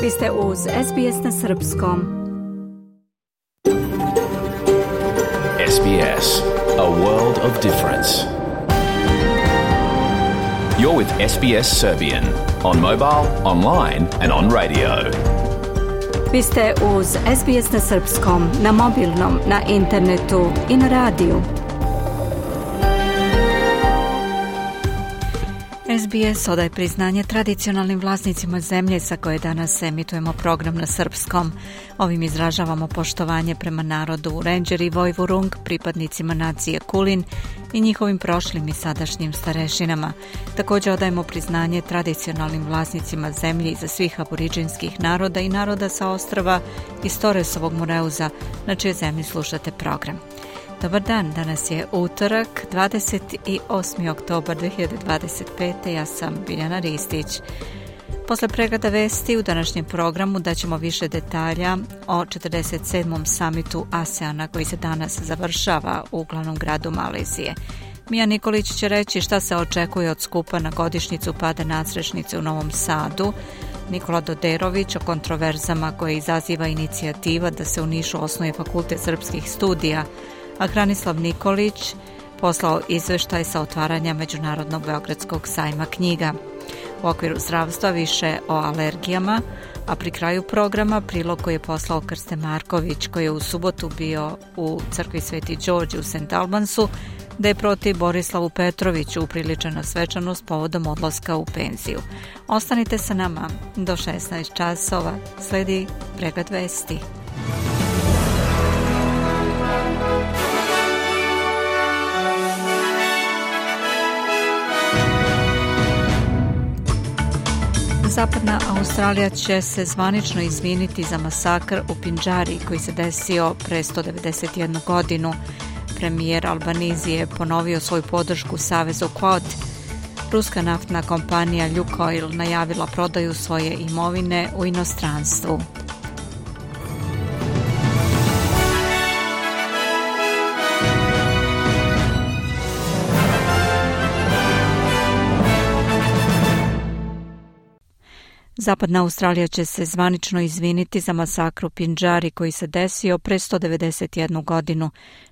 Vi ste uz SBS na Srpskom. SBS, a world of difference. You're with SBS Serbian on mobile, online and on radio. Vi ste uz SBS na Srpskom, na mobilnom, na internetu i na radiju. SBS odaje priznanje tradicionalnim vlasnicima zemlje sa koje danas emitujemo program na srpskom. Ovim izražavamo poštovanje prema narodu Rendžer i Vojvurung, pripadnicima nacije Kulin i njihovim prošlim i sadašnjim starešinama. Također odajemo priznanje tradicionalnim vlasnicima zemlje iza svih aboriđinskih naroda i naroda sa ostrva iz Torresovog Moreuza, na čijoj zemlji slušate program. Dobar dan, danas je utorak, 28. oktobar 2025. Ja sam Biljana Ristić. Posle pregleda vesti u današnjem programu daćemo više detalja o 47. samitu ASEANA koji se danas završava u glavnom gradu Malezije. Mija Nikolić će reći šta se očekuje od skupa na godišnjicu pada nadstrešnice u Novom Sadu. Nikola Doderović o kontroverzama koje izaziva inicijativa da se u Nišu osnuje fakultet srpskih studija, a Hranislav Nikolić poslao izveštaj sa otvaranja Međunarodnog beogradskog sajma knjiga. U okviru zdravstva više o alergijama, a pri kraju programa prilog koji je poslao Krste Marković, koji je u subotu bio u crkvi Sveti Đorđe u St. Albansu, da je protiv Borislavu Petroviću upriličena svečanost povodom odlaska u penziju. Ostanite sa nama do 16 časova, sledi pregled vesti. Zapadna Australija će se zvanično izviniti za masakr u Pindžari koji se desio pre 191 godinu. Premijer Albanese je ponovio svoju podršku savezu Quad. Ruska naftna kompanija Lukoil najavila prodaju svoje imovine u inostranstvu. Zapadna Australija će se zvanično izviniti za masakr u Pindžari koji se desio pre 191 godinu.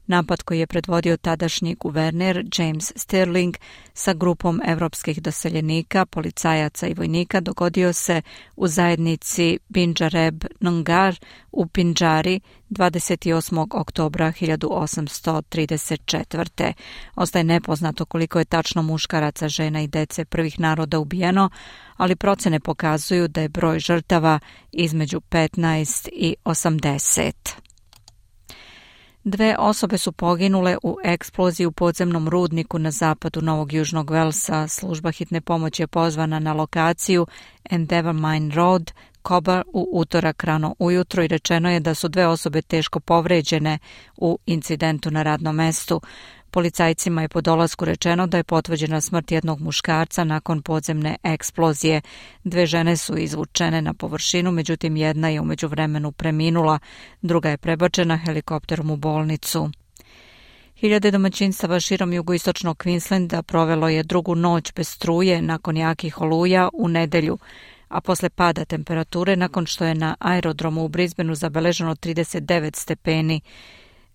Napad koji je predvodio tadašnji guverner James Stirling sa grupom evropskih doseljenika, policajaca i vojnika dogodio se u zajednici Binjareb Nungar u Pindžari 28. oktobra 1834. Ostaje nepoznato koliko je tačno muškaraca, žena i dece prvih naroda ubijeno, ali procene pokazuju da je broj žrtava između 15 i 80. 2 osobe su poginule u eksploziji u podzemnom rudniku na zapadu Novog Južnog Velsa. Služba hitne pomoći je pozvana na lokaciju Endeavour Mine Road, Kobar, u utorak rano ujutro i rečeno je da su 2 osobe teško povređene u incidentu na radnom mestu. Policajcima je po dolasku rečeno da je potvrđena smrt jednog muškarca nakon podzemne eksplozije. 2 žene su izvučene na površinu, međutim jedna je u međuvremenu preminula, druga je prebačena helikopterom u bolnicu. Hiljade domaćinstava širom jugoistočnog Queenslanda provelo je drugu noć bez struje nakon jakih oluja u nedelju, a posle pada temperature nakon što je na aerodromu u Brisbaneu zabeleženo 39 stepeni.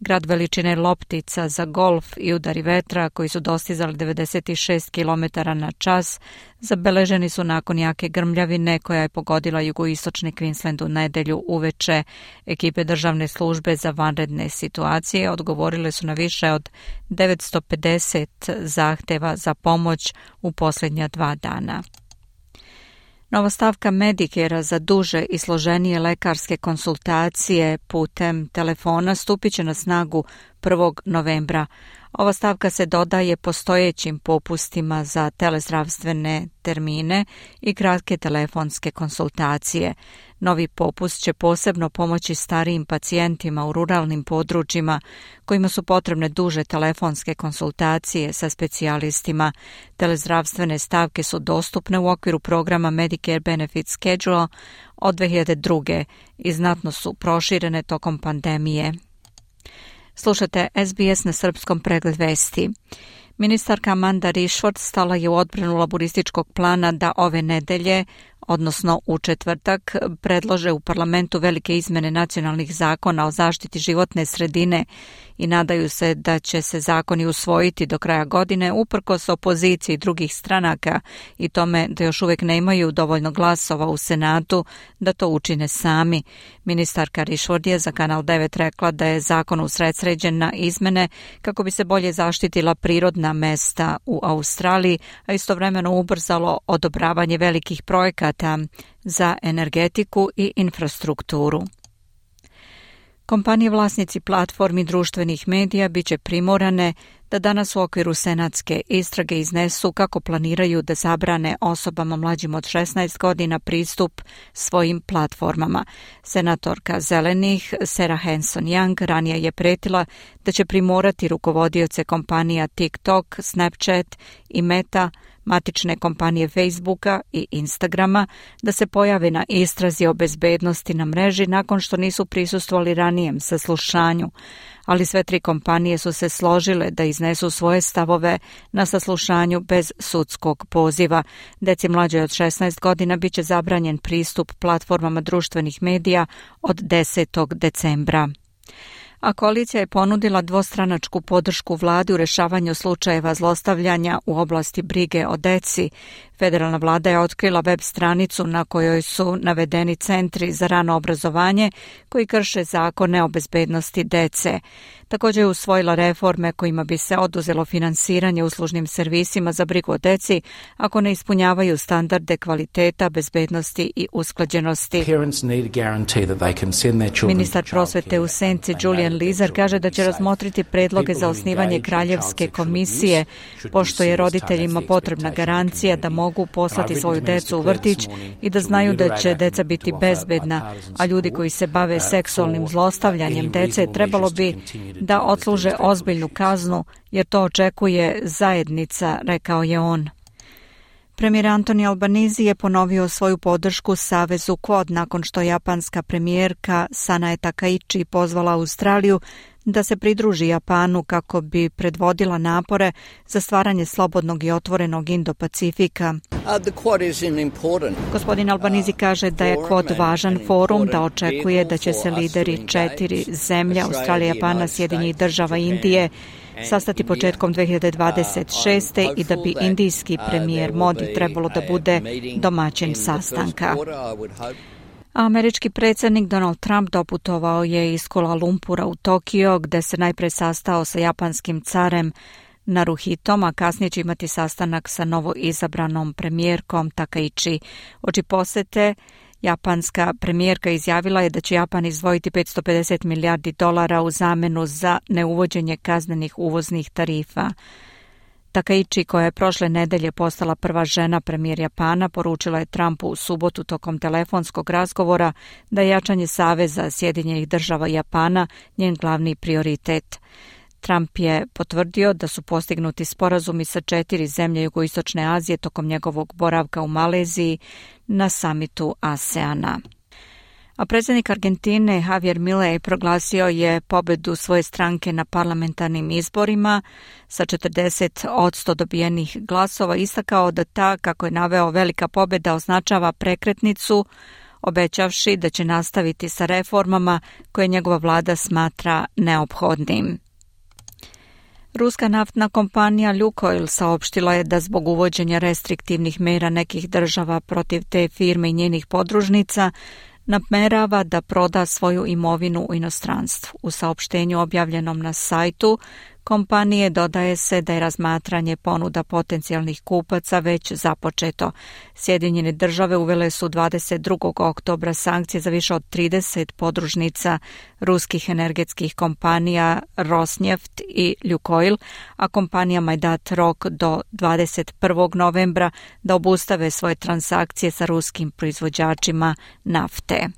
Grad veličine loptica za golf i udari vetra koji su dostizali 96 km na čas zabeleženi su nakon jake grmljavine koja je pogodila jugoistočni Queensland u nedelju uveče. Ekipe državne službe za vanredne situacije odgovorile su na više od 950 zahteva za pomoć u posljednja 2 dana. Nova stavka Medicare za duže i složenije lekarske konsultacije putem telefona stupit će na snagu 1. novembra. Ova stavka se dodaje postojećim popustima za telezdravstvene termine i kratke telefonske konsultacije. Novi popust će posebno pomoći starijim pacijentima u ruralnim područjima kojima su potrebne duže telefonske konsultacije sa specijalistima. Telezdravstvene stavke su dostupne u okviru programa Medicare Benefit Schedule od 2002. i znatno su proširene tokom pandemije. Slušate SBS na srpskom pregled vesti. Ministarka Amanda Rishford stala je u odbranu laburističkog plana da ove nedelje, odnosno u četvrtak, predlože u parlamentu velike izmene nacionalnih zakona o zaštiti životne sredine i nadaju se da će se zakoni usvojiti do kraja godine uprkos opoziciji drugih stranaka i tome da još uvijek nemaju dovoljno glasova u Senatu da to učine sami. Ministarka Rishford je za Kanal 9 rekla da je zakon usredsređen na izmene kako bi se bolje zaštitila prirodna mesta u Australiji, a istovremeno ubrzalo odobravanje velikih projekata za energetiku i infrastrukturu. Kompanije vlasnici platformi društvenih medija biće primorane da danas u okviru senatske istrage iznesu kako planiraju da zabrane osobama mlađim od 16 godina pristup svojim platformama. Senatorka Zelenih Sarah Hanson-Young ranije je pretila da će primorati rukovodioce kompanija TikTok, Snapchat i Meta, matične kompanije Facebooka i Instagrama, da se pojave na istrazi o bezbednosti na mreži nakon što nisu prisustvovali ranijem saslušanju. Ali sve tri kompanije su se složile da iznesu svoje stavove na saslušanju bez sudskog poziva. Deci mlađoj od 16 godina biće zabranjen pristup platformama društvenih medija od 10. decembra. A koalicija je ponudila dvostranačku podršku vladi u rešavanju slučajeva zlostavljanja u oblasti brige o deci. Federalna vlada je otkrila web stranicu na kojoj su navedeni centri za rano obrazovanje koji krše zakone o bezbednosti dece. Također je usvojila reforme kojima bi se oduzelo finansiranje uslužnim servisima za brigu o deci ako ne ispunjavaju standarde kvaliteta, bezbednosti i usklađenosti. Ministar prosvete u Senci Julian Leeser kaže da će razmotriti predloge za osnivanje kraljevske komisije, pošto je roditeljima potrebna garancija da mogu poslati svoju decu u vrtić i da znaju da će deca biti bezbedna, a ljudi koji se bave seksualnim zlostavljanjem dece trebalo bi da odsluže ozbiljnu kaznu, jer to očekuje zajednica, rekao je on. Premijer Anthony Albanese je ponovio svoju podršku Savezu Quad nakon što japanska premijerka Sanae Takaichi pozvala Australiju da se pridruži Japanu kako bi predvodila napore za stvaranje slobodnog i otvorenog Indo-Pacifika. Gospodin Albanese kaže da je Quad važan forum, da očekuje da će se lideri 4 zemlje, Australija, Japana, Sjedinjenih Država i Indije, sastati početkom 2026. i da bi indijski premijer Modi trebalo da bude domaćin sastanka. Američki predsjednik Donald Trump doputovao je iz Kuala Lumpura u Tokio, gde se najpre sastao sa japanskim carem Naruhitom, a kasnije će imati sastanak sa novo izabranom premijerkom Takaichi. Oči posete japanska premijerka izjavila je da će Japan izdvojiti $550 milijardi u zamenu za neuvođenje kaznenih uvoznih tarifa. Takaichi, koja je prošle nedelje postala prva žena premijer Japana, poručila je Trumpu u subotu tokom telefonskog razgovora da je jačanje saveza Sjedinjenih Država i Japana njen glavni prioritet. Trump je potvrdio da su postignuti sporazumi sa 4 zemlje jugoistočne Azije tokom njegovog boravka u Maleziji na samitu ASEANA. A predsjednik Argentine Javier Milei proglasio je pobedu svoje stranke na parlamentarnim izborima sa 40% dobijenih glasova, istakao da ta, kako je naveo, velika pobeda označava prekretnicu, obećavši da će nastaviti sa reformama koje njegova vlada smatra neophodnim. Ruska naftna kompanija Lukoil saopštila je da zbog uvođenja restriktivnih mera nekih država protiv te firme i njenih podružnica namerava da proda svoju imovinu u inostranstvu. U saopštenju objavljenom na sajtu kompanije dodaje se da je razmatranje ponuda potencijalnih kupaca već započeto. Sjedinjene Države uvele su 22. oktobra sankcije za više od 30 podružnica ruskih energetskih kompanija Rosneft i Lukoil, a kompanijama je dat rok do 21. novembra da obustave svoje transakcije sa ruskim proizvođačima nafte.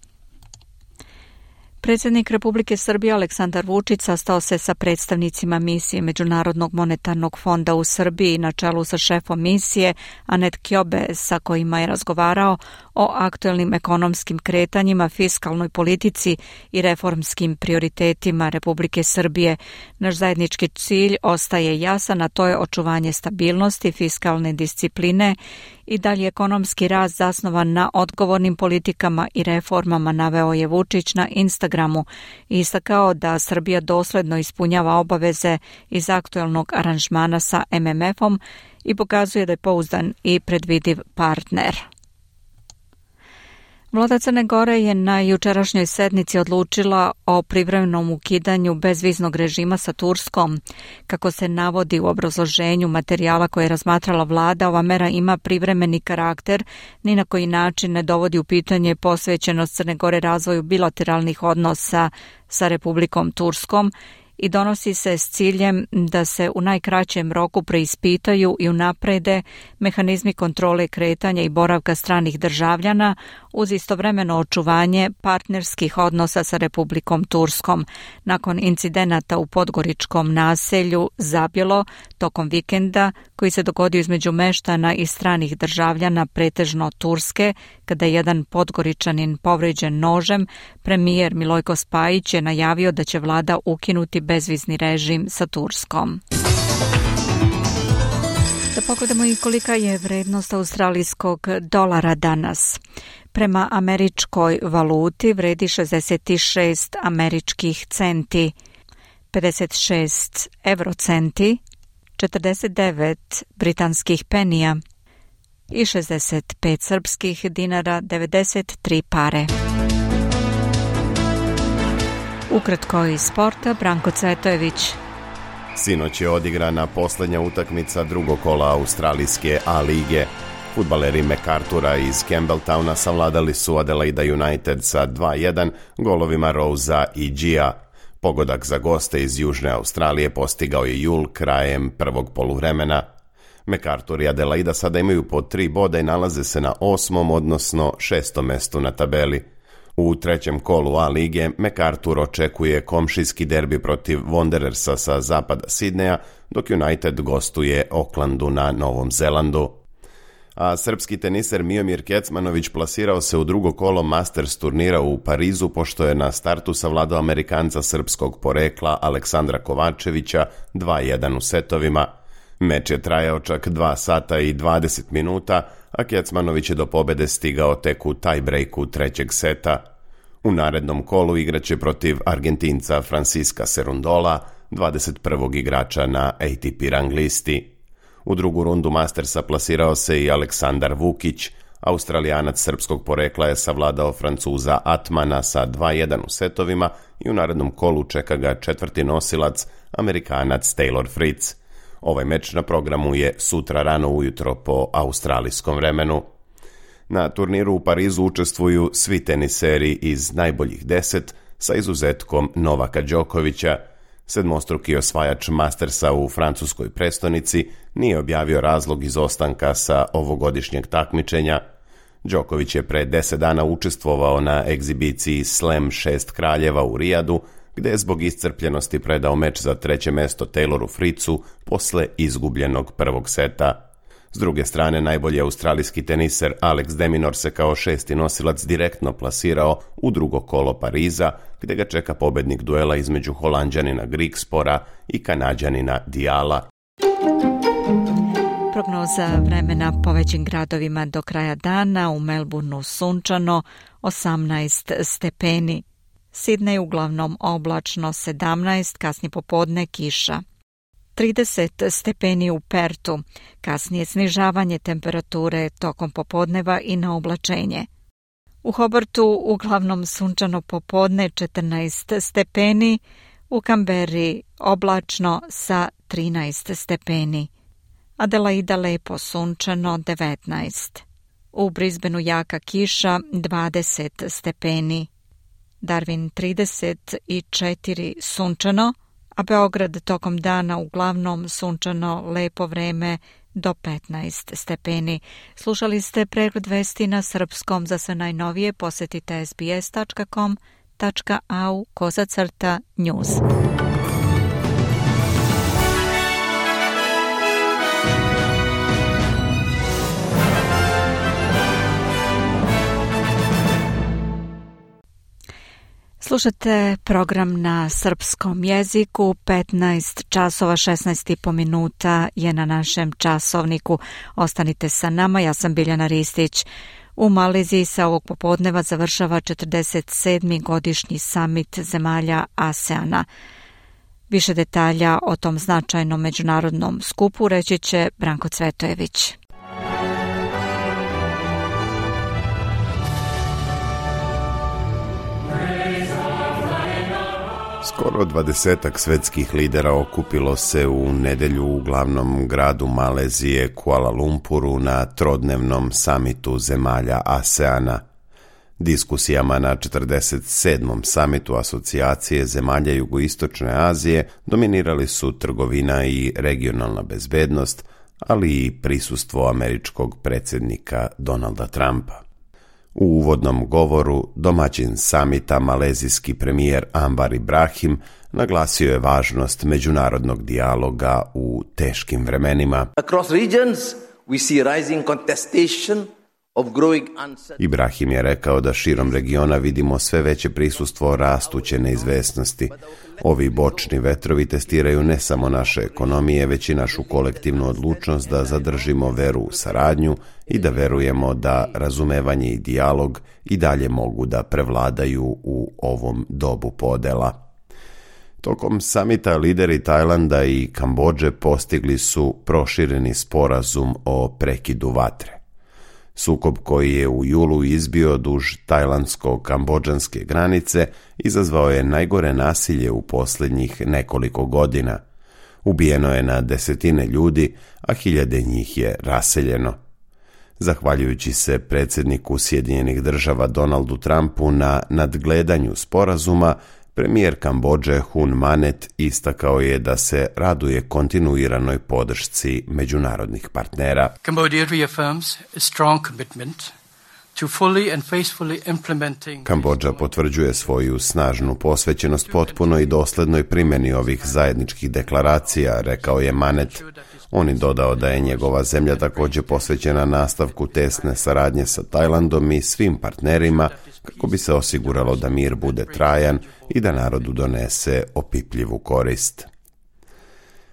Predsjednik Republike Srbije Aleksandar Vučić sastao se sa predstavnicima misije Međunarodnog monetarnog fonda u Srbiji na čelu sa šefom misije Anet Kjobe, sa kojima je razgovarao o aktuelnim ekonomskim kretanjima, fiskalnoj politici i reformskim prioritetima Republike Srbije. Naš zajednički cilj ostaje jasan, a to je očuvanje stabilnosti, fiskalne discipline i dalje ekonomski rast zasnovan na odgovornim politikama i reformama, naveo je Vučić na Instagramu i istakao da Srbija dosledno ispunjava obaveze iz aktuelnog aranžmana sa MMF-om i pokazuje da je pouzdan i predvidiv partner. Vlada Crne Gore je na jučerašnjoj sednici odlučila o privremenom ukidanju bezviznog režima sa Turskom. Kako se navodi u obrazloženju materijala koje je razmatrala vlada, ova mera ima privremeni karakter, ni na koji način ne dovodi u pitanje posvećenost Crne Gore razvoju bilateralnih odnosa sa Republikom Turskom i donosi se s ciljem da se u najkraćem roku preispitaju i unaprede mehanizmi kontrole kretanja i boravka stranih državljana uz istovremeno očuvanje partnerskih odnosa sa Republikom Turskom. Nakon incidenata u podgoričkom naselju Zabjelo tokom vikenda koji se dogodio između meštana i stranih državljana, pretežno Turske, kada je jedan podgoričanin povređen nožem, premijer Milojko Spajić je najavio da će vlada ukinuti bezvizni režim sa Turskom. Da pogledamo i kolika je vrednost australijskog dolara danas. Prema američkoj valuti vredi 66 američkih centi, 56 eurocenti, 49 britanskih penija i 65 srpskih dinara, 93 pare. Ukratko iz sporta, Branko Cvetojević. Sinoć je odigrana posljednja utakmica drugog kola australijske A lige. Fudbaleri MacArthura iz Campbelltowna savladali su Adelaida United sa 2-1 golovima Rosea i Gia. Pogodak za goste iz Južne Australije postigao je Jul krajem prvog poluvremena. MacArthur i Adelaida sada imaju po 3 boda i nalaze se na 8. odnosno 6. mestu na tabeli. U trećem kolu A lige MacArthur očekuje komšijski derbi protiv Wanderersa sa zapada Sidneja, dok United gostuje Aucklandu na Novom Zelandu. A srpski teniser Miomir Kecmanović plasirao se u drugo kolo Masters turnira u Parizu, pošto je na startu savladao Amerikanca srpskog porekla Aleksandra Kovačevića 2-1 u setovima. Meč je trajao čak 2 sata i 20 minuta, a Kecmanović je do pobede stigao tek u tiebreaku trećeg seta. U narednom kolu igraće protiv Argentinca Francisca Cerundola, 21. igrača na ATP rang listi. U drugu rundu Mastersa plasirao se i Aleksandar Vukić. Australijanac srpskog porekla je savladao Francuza Atmana sa 2-1 u setovima i u narednom kolu čeka ga četvrti nosilac, Amerikanac Taylor Fritz. Ovaj meč na programu je sutra rano ujutro po australijskom vremenu. Na turniru u Parizu učestvuju svi teniseri iz najboljih 10 sa izuzetkom Novaka Đokovića. Sedmostruki osvajač Mastersa u francuskoj prestonici nije objavio razlog izostanka sa ovogodišnjeg takmičenja. Đoković je pre 10 dana učestvovao na egzibiciji Slam 6 kraljeva u Rijadu, gde je zbog iscrpljenosti predao meč za treće mesto Tayloru Fritzu posle izgubljenog prvog seta. S druge strane, najbolji australijski teniser Alex de Minaur se kao 6. nosilac direktno plasirao u drugo kolo Pariza, gde ga čeka pobednik duela između Holanđanina Grigspora i Kanađanina Diala. Prognoza vremena po većim gradovima do kraja dana: u Melbourneu sunčano 18 stepeni, Sidney uglavnom oblačno 17, kasnije popodne kiša. 30 stepeni u Pertu, kasnije snižavanje temperature tokom popodneva i na oblačenje. U Hobartu uglavnom sunčano popodne 14 stepeni, u Kamberi oblačno sa 13 stepeni. Adelaida lepo sunčano 19. U Brisbaneu jaka kiša 20 stepeni. Darwin 34 sunčano, a Beograd tokom dana uglavnom sunčano, lepo vreme do 15 stepeni. Slušali ste pregled vesti na srpskom. Za sve najnovije posetite sbs.com.au/news. Slušate program na srpskom jeziku, 15 časova 16,5 minuta je na našem časovniku. Ostanite sa nama, ja sam Biljana Ristić. U Maleziji se ovog popodneva završava 47. godišnji samit zemalja ASEANA. Više detalja o tom značajnom međunarodnom skupu reći će Branko Cvetojević. Skoro 20 svetskih lidera okupilo se u nedelju u glavnom gradu Malezije, Kuala Lumpuru, na trodnevnom samitu zemalja ASEANA. Diskusijama na 47. samitu asocijacije zemalja Jugoistočne Azije dominirali su trgovina i regionalna bezbednost, ali i prisustvo američkog predsjednika Donalda Trumpa. U uvodnom govoru domaćin samita malezijski premijer Anwar Ibrahim naglasio je važnost međunarodnog dijaloga u teškim vremenima. Across regions we see rising contestation of growing uncertainty. Ibrahim je rekao da širom regiona vidimo sve veće prisustvo rastuće neizvesnosti. Ovi bočni vetrovi testiraju ne samo naše ekonomije, već i našu kolektivnu odlučnost da zadržimo veru u saradnju i da verujemo da razumevanje i dijalog i dalje mogu da prevladaju u ovom dobu podela. Tokom samita lideri Tajlanda i Kambodže postigli su prošireni sporazum o prekidu vatre. Sukob koji je u julu izbio duž tajlandsko-kambodžanske granice izazvao je najgore nasilje u posljednjih nekoliko godina. Ubijeno je na desetine ljudi, a hiljade njih je raseljeno. Zahvaljujući se predsjedniku Sjedinjenih Država Donaldu Trumpu na nadgledanju sporazuma, premijer Kambodže Hun Manet istakao je da se raduje kontinuiranoj podršci međunarodnih partnera. Cambodia reaffirms a strong commitment to fully and faithfully implementing. Kambodža potvrđuje svoju snažnu posvećenost potpunoj i doslednoj primjeni ovih zajedničkih deklaracija, rekao je Manet. On je dodao da je njegova zemlja također posvećena nastavku tesne saradnje sa Tajlandom i svim partnerima kako bi se osiguralo da mir bude trajan i da narodu donese opipljivu korist.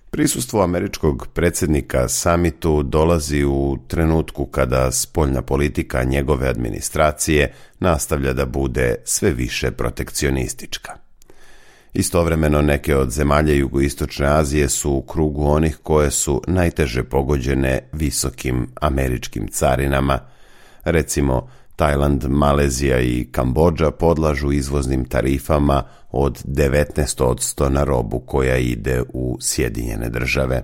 Prisustvo američkog predsjednika samitu dolazi u trenutku kada spoljna politika njegove administracije nastavlja da bude sve više protekcionistička. Istovremeno neke od zemalja Jugoistočne Azije su u krugu onih koje su najteže pogođene visokim američkim carinama. Recimo, Tajland, Malezija i Kambodža podlažu izvoznim tarifama od 19% na robu koja ide u Sjedinjene Države.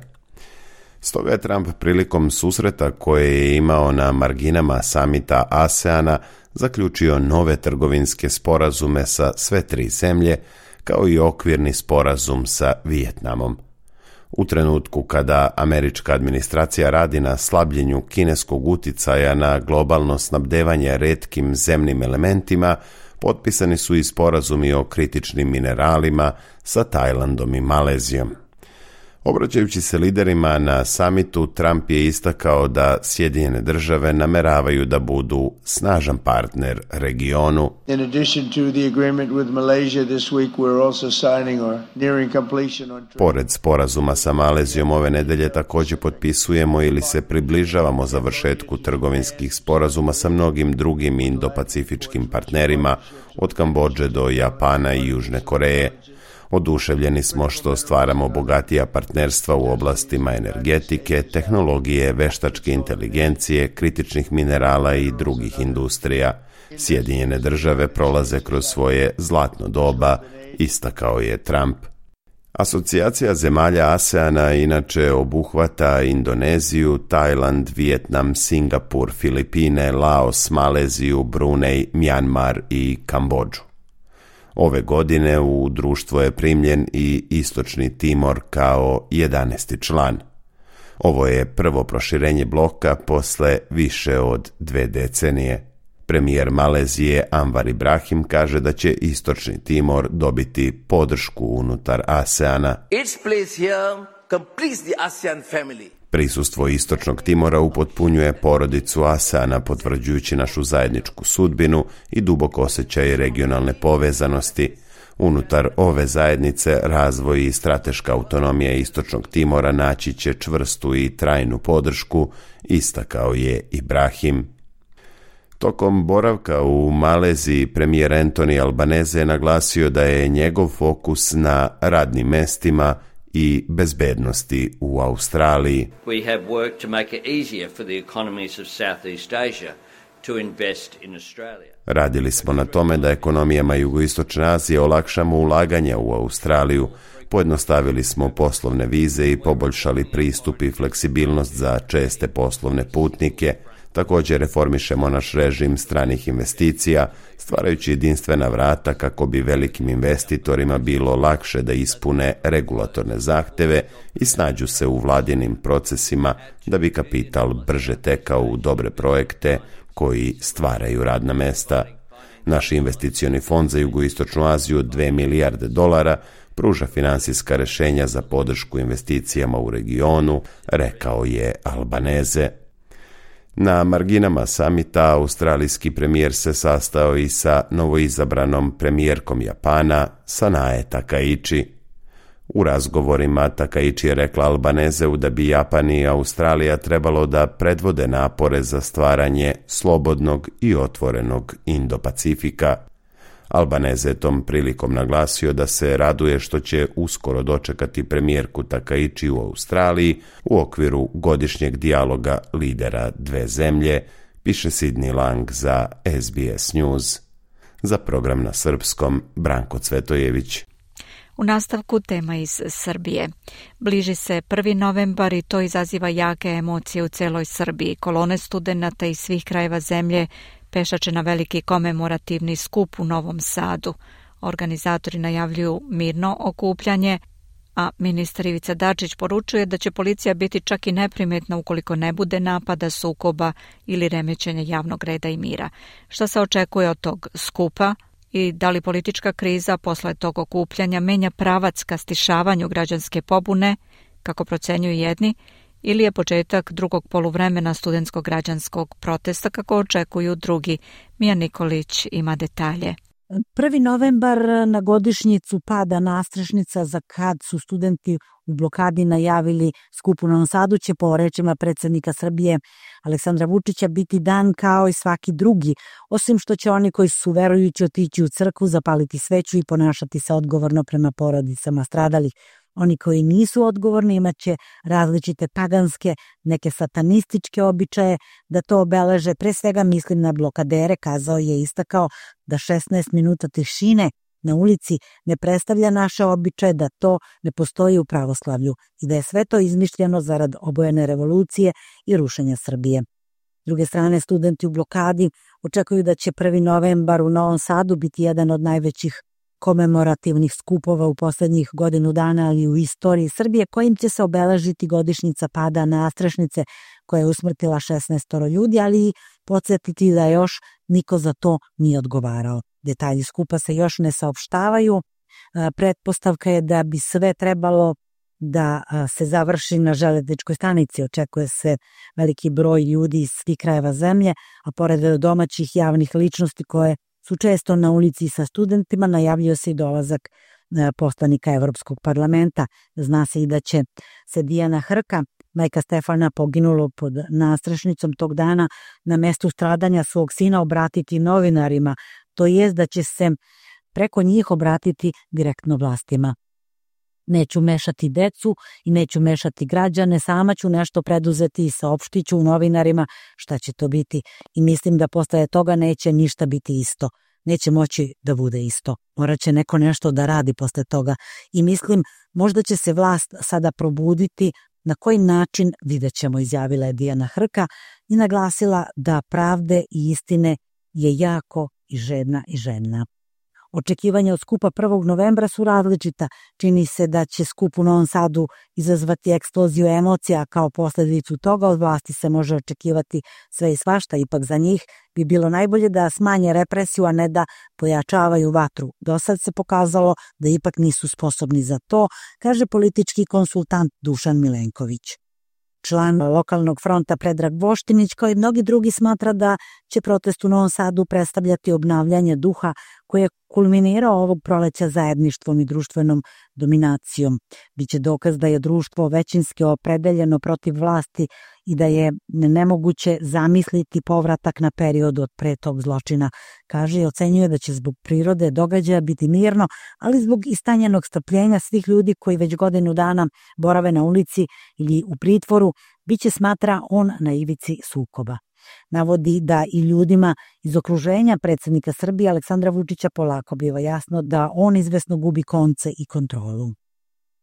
Stoga je Trump prilikom susreta koje je imao na marginama samita ASEANA zaključio nove trgovinske sporazume sa sve tri zemlje, kao i okvirni sporazum sa Vijetnamom. U trenutku kada američka administracija radi na slabljenju kineskog uticaja na globalno snabdevanje retkim zemnim elementima, potpisani su i sporazumi o kritičnim mineralima sa Tajlandom i Malezijom. Obraćajući se liderima na samitu, Trump je istakao da Sjedinjene Države nameravaju da budu snažan partner regionu. In addition to the agreement with Malaysia this week, we're also signing or nearing completion on. Pored sporazuma sa Malezijom ove nedelje također potpisujemo ili se približavamo završetku trgovinskih sporazuma sa mnogim drugim indopacifičkim partnerima, od Kambodže do Japana i Južne Koreje. Oduševljeni smo što stvaramo bogatija partnerstva u oblastima energetike, tehnologije, veštačke inteligencije, kritičnih minerala i drugih industrija. Sjedinjene Države prolaze kroz svoje zlatno doba, istakao je Trump. Asocijacija zemalja ASEANA inače obuhvata Indoneziju, Tajland, Vijetnam, Singapur, Filipine, Laos, Maleziju, Brunei, Mjanmar i Kambodžu. Ove godine u društvo je primljen i Istočni Timor kao 11. član. Ovo je prvo proširenje bloka posle više od 2 decenije. Premijer Malezije Anwar Ibrahim kaže da će Istočni Timor dobiti podršku unutar ASEANA. Its place here completes the ASEAN family. Prisustvo Istočnog Timora upotpunjuje porodicu ASEANA, potvrđujući našu zajedničku sudbinu i duboko osjećaj regionalne povezanosti. Unutar ove zajednice razvoj i strateška autonomija Istočnog Timora naći će čvrstu i trajnu podršku, istakao je Ibrahim. Tokom boravka u Maleziji, premijer Anthony Albanese je naglasio da je njegov fokus na radnim mestima i bezbednosti u Australiji. We have worked to make it easier for the economies of Southeast Asia to invest in Australia. Radili smo na tome da ekonomijama Jugoistočne Azije olakšamo ulaganja u Australiju. Pojednostavili smo poslovne vize i poboljšali pristup i fleksibilnost za česte poslovne putnike. Također reformišemo naš režim stranih investicija, stvarajući jedinstvena vrata kako bi velikim investitorima bilo lakše da ispune regulatorne zahteve i snađu se u vladinim procesima da bi kapital brže tekao u dobre projekte koji stvaraju radna mesta. Naš investicioni fond za Jugoistočnu Aziju $2 milijarde pruža finansijska rješenja za podršku investicijama u regionu, rekao je Albanese. Na marginama samita australijski premijer se sastao i sa novoizabranom premijerkom Japana, Sanae Takaichi. U razgovorima Takaichi je rekla Albaneseu da bi Japan i Australija trebalo da predvode napore za stvaranje slobodnog i otvorenog Indo-Pacifika. Albanese je tom prilikom naglasio da se raduje što će uskoro dočekati premijerku Takaichi u Australiji u okviru godišnjeg dijaloga lidera dve zemlje, piše Sidney Lang za SBS News. Za program na srpskom, Branko Cvetojević. U nastavku tema iz Srbije. Bliži se 1. novembar i to izaziva jake emocije u celoj Srbiji. Kolone studenata iz svih krajeva zemlje pešače na veliki komemorativni skup u Novom Sadu. Organizatori najavljuju mirno okupljanje, a ministar Ivica Dačić poručuje da će policija biti čak i neprimetna ukoliko ne bude napada, sukoba ili remećenja javnog reda i mira. Šta se očekuje od tog skupa i da li politička kriza posle tog okupljanja menja pravac ka stišavanju građanske pobune, kako procenjuju jedni, ili je početak drugog poluvremena studentskog građanskog protesta, kako očekuju drugi. Mija Nikolić ima detalje. 1. novembar na godišnjicu pada nastrešnica za kad su studenti u blokadi najavili skup u Novom Sadu će po rečima predsjednika Srbije Aleksandra Vučića biti dan kao i svaki drugi, osim što će oni koji su verujući otići u crkvu, zapaliti sveću i ponašati se odgovorno prema porodicama stradalih. Oni koji nisu odgovorni imat će različite paganske, neke satanističke običaje da to obeleže. Pre svega mislim na blokadere, kazao je i istakao da 16 minuta tišine na ulici ne predstavlja naše običaje, da to ne postoji u pravoslavlju i da je sve to izmišljeno zarad obojene revolucije i rušenja Srbije. S druge strane, studenti u blokadi očekuju da će 1. novembar u Novom Sadu biti jedan od najvećih komemorativnih skupova u posljednjih godinu dana, ali u istoriji Srbije, kojim će se obeležiti godišnjica pada nastrešnice koja je usmrtila 16 ljudi, ali i podsjetiti da još niko za to nije odgovarao. Detalji skupa se još ne saopštavaju. Pretpostavka je da bi sve trebalo da se završi na železničkoj stanici. Očekuje se veliki broj ljudi iz svih krajeva zemlje, a pored domaćih javnih ličnosti koje su često na ulici sa studentima, najavljuje se i dolazak poslanika Evropskog parlamenta. Zna se i da će se Dijana Hrka, majka Stefana poginulog pod nastrešnicom tog dana, na mestu stradanja svog sina obratiti novinarima, to jest da će se preko njih obratiti direktno vlastima. Neću mešati decu i neću mešati građane, sama ću nešto preduzeti i saopštit ću novinarima šta će to biti i mislim da posle toga neće ništa biti isto. Neće moći da bude isto. Morat će neko nešto da radi posle toga i mislim možda će se vlast sada probuditi. Na koji način vidjet ćemo, izjavila je Dijana Hrka i naglasila da pravde i istine je jako i žedna. Očekivanja od skupa 1. novembra su različita. Čini se da će skup u Novom Sadu izazvati eksploziju emocija, kao posljedicu toga od vlasti se može očekivati sve i svašta, ipak za njih bi bilo najbolje da smanje represiju, a ne da pojačavaju vatru. Do sad se pokazalo da ipak nisu sposobni za to, kaže politički konsultant Dušan Milenković. Član lokalnog fronta Predrag Voštinić, kao i mnogi drugi, smatra da će protest u Novom Sadu predstavljati obnavljanje duha koje je kulminirao ovog proleća zajedništvom i društvenom dominacijom. Biće dokaz da je društvo većinski opredeljeno protiv vlasti i da je nemoguće zamisliti povratak na period od pre tog zločina. Kaže i ocenjuje da će zbog prirode događaja biti mirno, ali zbog istanjenog strpljenja svih ljudi koji već godinu dana borave na ulici ili u pritvoru, biće, smatra on, na ivici sukoba. Navodi da i ljudima iz okruženja predsjednika Srbije Aleksandra Vučića polako biva jasno da on izvesno gubi konce i kontrolu.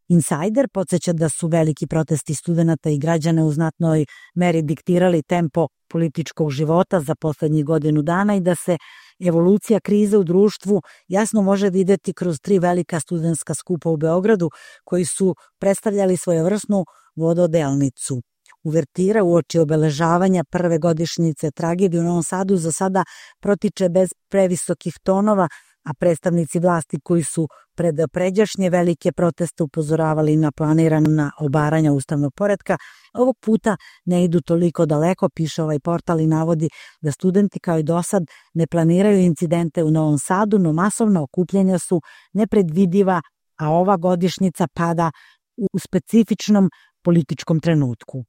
Insider podsjeća da su veliki protesti studenata i građana u znatnoj meri diktirali tempo političkog života za poslednjih godinu dana i da se evolucija krize u društvu jasno može videti kroz 3 velika studentska skupa u Beogradu koji su predstavljali svojevrsnu vododelnicu. Uvertira uoči obeležavanja prve godišnjice tragedije u Novom Sadu za sada protiče bez previsokih tonova, a predstavnici vlasti koji su pred pređašnje velike proteste upozoravali na planirana obaranja ustavnog poretka, ovog puta ne idu toliko daleko, piše ovaj portal i navodi da studenti kao i dosad ne planiraju incidente u Novom Sadu, no masovna okupljanja su nepredvidiva, a ova godišnjica pada u specifičnom političkom trenutku.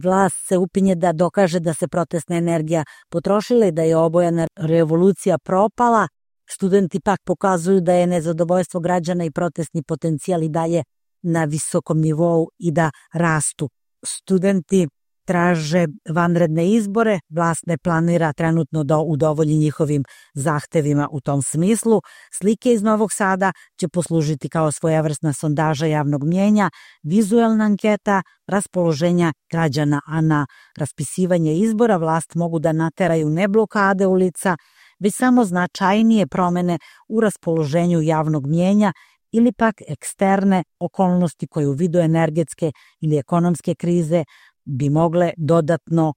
Vlast se upinje da dokaže da se protestna energija potrošila i da je obojana revolucija propala. Studenti pak pokazuju da je nezadovoljstvo građana i protestni potencijal i dalje na visokom nivou i da rastu. Studenti traže vanredne izbore, vlast ne planira trenutno da udovolji njihovim zahtevima u tom smislu. Slike iz Novog Sada će poslužiti kao svojevrsna sondaža javnog mnjenja, vizuelna anketa raspoloženja građana, a na raspisivanje izbora vlast mogu da nateraju ne blokade ulica, već samo značajnije promene u raspoloženju javnog mnjenja ili pak eksterne okolnosti koje u vidu energetske ili ekonomske krize bi mogle dodatno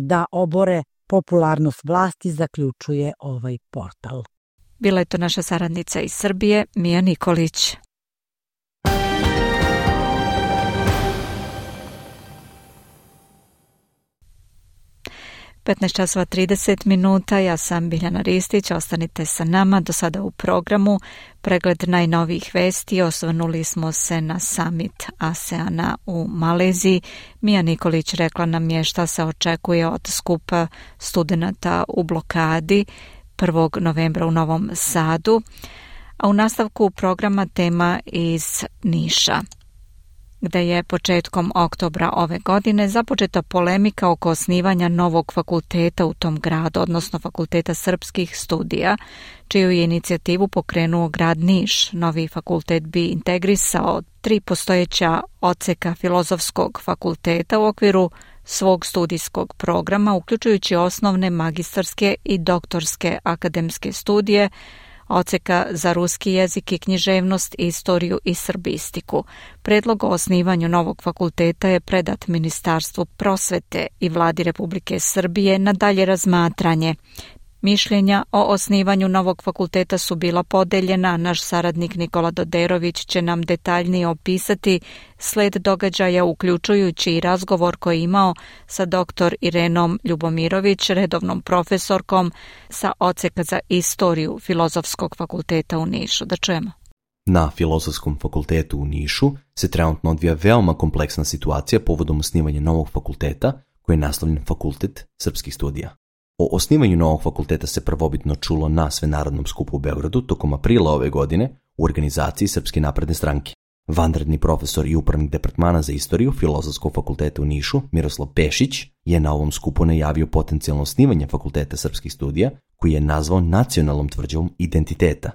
da obore popularnost vlasti, zaključuje ovaj portal. Bila je to naša saradnica iz Srbije, Mija Nikolić. časova 30 minuta, ja sam Biljana Ristić, ostanite sa nama do sada u programu. Pregled najnovijih vesti, osvrnuli smo se na summit ASEANA u Maleziji. Mija Nikolić rekla nam je šta se očekuje od skupa studenata u blokadi 1. novembra u Novom Sadu, a u nastavku programa tema iz Niša, gde je početkom oktobra ove godine započeta polemika oko osnivanja novog fakulteta u tom gradu, odnosno Fakulteta srpskih studija, čiju je inicijativu pokrenuo grad Niš. Novi fakultet bi integrisao 3 postojeća odseka Filozofskog fakulteta u okviru svog studijskog programa, uključujući osnovne, magistarske i doktorske akademske studije, odseka za ruski jezik i književnost, istoriju i srbistiku. Predlog o osnivanju novog fakulteta je predat Ministarstvu prosvete i Vladi Republike Srbije na dalje razmatranje. Mišljenja o osnivanju novog fakulteta su bila podeljena. Naš saradnik Nikola Doderović će nam detaljnije opisati sled događaja, uključujući i razgovor koji je imao sa dr. Irenom Ljubomirović, redovnom profesorkom sa odseka za istoriju Filozofskog fakulteta u Nišu. Da čujemo. Na Filozofskom fakultetu u Nišu se trenutno odvija veoma kompleksna situacija povodom osnivanja novog fakulteta koji je naslovljen Fakultet srpskih studija. O osnivanju novog fakulteta se prvobitno čulo na Svenarodnom skupu u Beogradu tokom aprila ove godine u organizaciji Srpske napredne stranke. Vanredni profesor i upravnik departmana za istoriju Filozofskog fakulteta u Nišu, Miroslav Pešić, je na ovom skupu najavio potencijalno osnivanje Fakulteta srpskih studija, koji je nazvao nacionalnom tvrđavom identiteta.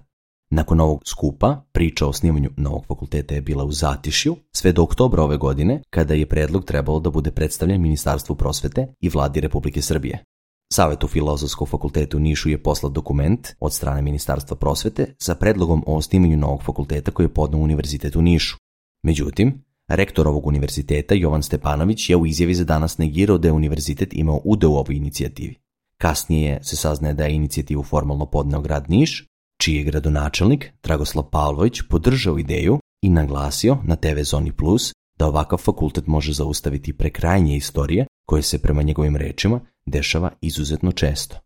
Nakon ovog skupa, priča o osnivanju novog fakulteta je bila u zatišju sve do oktobra ove godine, kada je predlog trebalo da bude predstavljen Ministarstvu prosvete i Vladi Republike Srbije. Savetu Filozofskog fakulteta u Nišu je poslat dokument od strane Ministarstva prosvete sa predlogom o osnivanju novog fakulteta koji je podneo Univerzitet u Nišu. Međutim, rektor ovog univerziteta, Jovan Stepanović, je u izjavi za danas negirao da je univerzitet imao udeo u ovoj inicijativi. Kasnije se saznaje da je inicijativu formalno podneo grad Niš, čiji je gradonačelnik Dragoslav Pavlović podržao ideju i naglasio na TV Zoni Plus da ovakav fakultet može zaustaviti prekrajanje istorije koje se prema njegovim rečima dešava izuzetno često.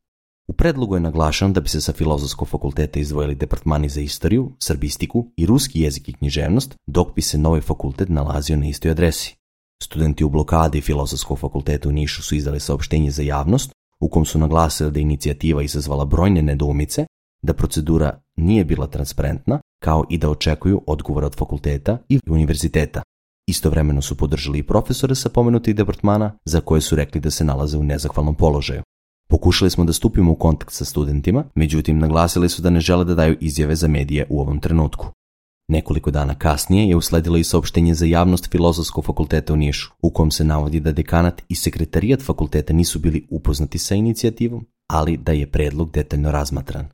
U predlogu je naglašeno da bi se sa Filozofskog fakulteta izdvojili departmani za istoriju, srbistiku i ruski jezik i književnost, dok bi se novi fakultet nalazio na istoj adresi. Studenti u blokadi Filozofskog fakulteta u Nišu su izdali saopštenje za javnost u kom su naglasili da je inicijativa izazvala brojne nedoumice, da procedura nije bila transparentna, kao i da očekuju odgovore od fakulteta i univerziteta. Istovremeno su podržali i profesore sa pomenutih departmana za koje su rekli da se nalaze u nezahvalnom položaju. Pokušali smo da stupimo u kontakt sa studentima, međutim naglasili su da ne žele da daju izjave za medije u ovom trenutku. Nekoliko dana kasnije je usledilo i saopštenje za javnost Filozofskog fakulteta u Nišu, u kom se navodi da dekanat i sekretarijat fakulteta nisu bili upoznati sa inicijativom, ali da je predlog detaljno razmatran.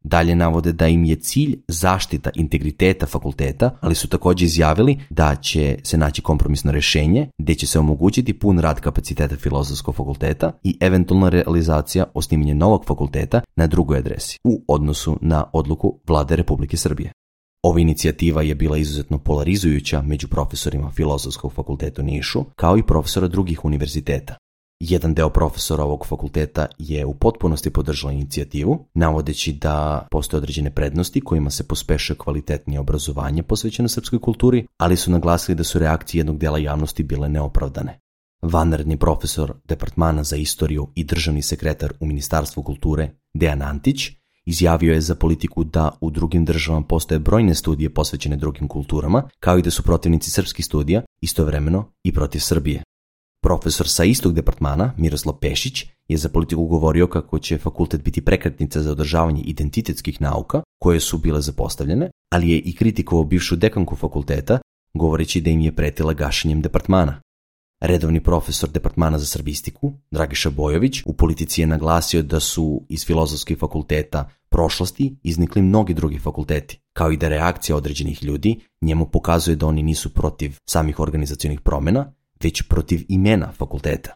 Dalje navode da im je cilj zaštita integriteta fakulteta, ali su također izjavili da će se naći kompromisno rješenje gdje će se omogućiti pun rad kapaciteta Filozofskog fakulteta i eventualna realizacija osnivanja novog fakulteta na drugoj adresi u odnosu na odluku Vlade Republike Srbije. Ova inicijativa je bila izuzetno polarizujuća među profesorima Filozofskog fakulteta u Nišu, kao i profesora drugih univerziteta. Jedan deo profesora ovog fakulteta je u potpunosti podržao inicijativu, navodeći da postoje određene prednosti kojima se pospešuje kvalitetnije obrazovanje posvećeno srpskoj kulturi, ali su naglasili da su reakcije jednog dela javnosti bile neopravdane. Vanredni profesor departmana za istoriju i državni sekretar u Ministarstvu kulture Dejan Antić izjavio je za Politiku da u drugim državama postoje brojne studije posvećene drugim kulturama, kao i da su protivnici srpskih studija istovremeno i protiv Srbije. Profesor sa istog departmana, Miroslav Pešić, je za Politiku govorio kako će fakultet biti prekretnica za održavanje identitetskih nauka koje su bile zapostavljene, ali je i kritikovao bivšu dekanku fakulteta, govoreći da im je pretila gašenjem departmana. Redovni profesor departmana za srbistiku, Dragiša Bojović, u Politici je naglasio da su iz Filozofskih fakulteta prošlosti iznikli mnogi drugi fakulteti, kao i da reakcija određenih ljudi njemu pokazuje da oni nisu protiv samih organizacionih promjena, već protiv imena fakulteta.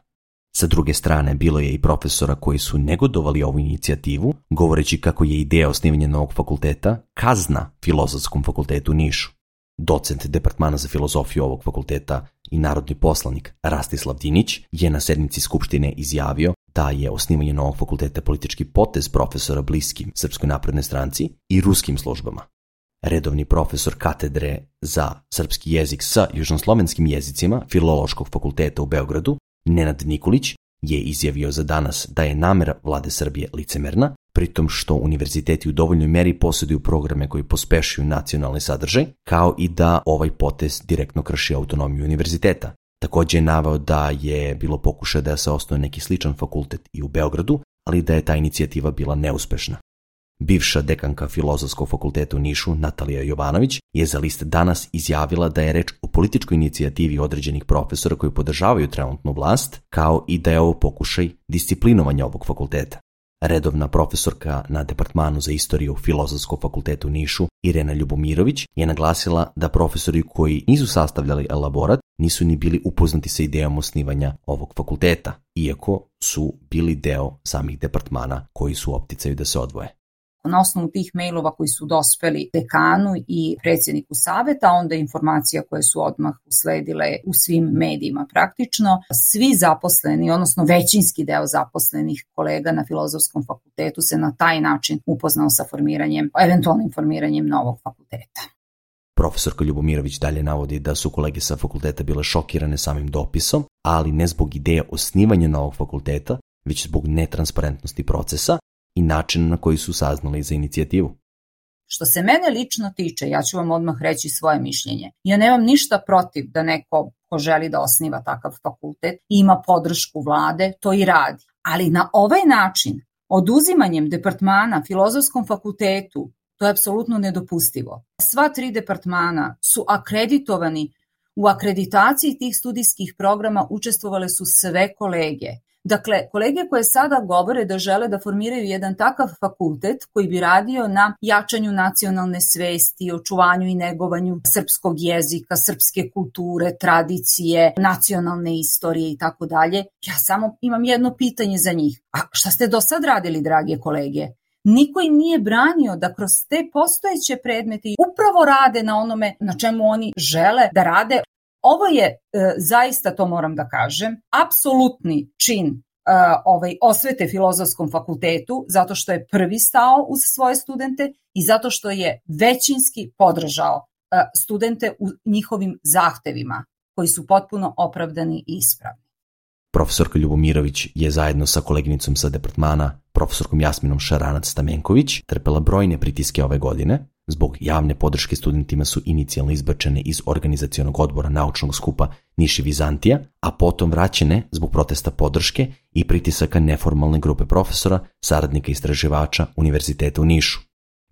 Sa druge strane, bilo je i profesora koji su negodovali ovu inicijativu, govoreći kako je ideja osnivanja novog fakulteta kazna Filozofskom fakultetu u Nišu. Docent departmana za filozofiju ovog fakulteta i narodni poslanik Rastislav Dinić je na sednici Skupštine izjavio da je osnivanje novog fakulteta politički potez profesora bliskim Srpskoj naprednoj stranci i ruskim službama. Redovni profesor katedre za srpski jezik sa južnoslovenskim jezicima Filološkog fakulteta u Beogradu, Nenad Nikolić, je izjavio za danas da je namera Vlade Srbije licemerna, pritom što univerziteti u dovoljnoj meri posjeduju programe koji pospešuju nacionalni sadržaj, kao i da ovaj potez direktno krši autonomiju univerziteta. Također je naveo da je bilo pokušaj da se osnuje neki sličan fakultet i u Beogradu, ali da je ta inicijativa bila neuspešna. Bivša dekanka Filozofskog fakulteta u Nišu, Natalija Jovanović, je za list Danas izjavila da je reč o političkoj inicijativi određenih profesora koji podržavaju trenutnu vlast, kao i da je ovo pokušaj disciplinovanja ovog fakulteta. Redovna profesorka na departmanu za istoriju Filozofskog fakulteta u Nišu, Irena Ljubomirović, je naglasila da profesori koji nisu sastavljali elaborat nisu ni bili upoznati sa idejom osnivanja ovog fakulteta, iako su bili deo samih departmana koji su u opticaju da se odvoje. Na osnovu tih mailova koji su dospeli dekanu i predsjedniku saveta, onda informacija koje su odmah usledile u svim medijima praktično. Svi zaposleni, odnosno većinski deo zaposlenih kolega na Filozofskom fakultetu se na taj način upoznao sa eventualnim formiranjem novog fakulteta. Profesorka Ljubomirović dalje navodi da su kolege sa fakulteta bile šokirane samim dopisom, ali ne zbog ideje osnivanja novog fakulteta, već zbog netransparentnosti procesa i način na koji su saznali za inicijativu. Što se mene lično tiče, ja ću vam odmah reći svoje mišljenje. Ja nemam ništa protiv da neko ko želi da osniva takav fakultet ima podršku vlade, to i radi. Ali na ovaj način, oduzimanjem departmana Filozofskom fakultetu, to je apsolutno nedopustivo. Sva 3 departmana su akreditovani. U akreditaciji tih studijskih programa učestvovale su sve kolege. Dakle, kolege koje sada govore da žele da formiraju jedan takav fakultet koji bi radio na jačanju nacionalne svesti, očuvanju i negovanju srpskog jezika, srpske kulture, tradicije, nacionalne istorije i tako dalje. Ja samo imam jedno pitanje za njih. A šta ste do sad radili, drage kolege? Niko im nije branio da kroz te postojeće predmete upravo rade na onome na čemu oni žele da rade. Ovo je, zaista to moram da kažem, apsolutni čin osvete Filozofskom fakultetu, zato što je prvi stao uz svoje studente i zato što je većinski podržao studente u njihovim zahtevima, koji su potpuno opravdani i ispravni. Profesorka Ljubomirović je zajedno sa koleginicom sa departmana, profesorkom Jasminom Šaranac-Stamenković, trpela brojne pritiske ove godine. Zbog javne podrške studentima su inicijalno izbačene iz organizacionog odbora naučnog skupa Niš i Vizantija, a potom vraćene zbog protesta podrške i pritisaka neformalne grupe profesora, saradnika istraživača Univerziteta u Nišu.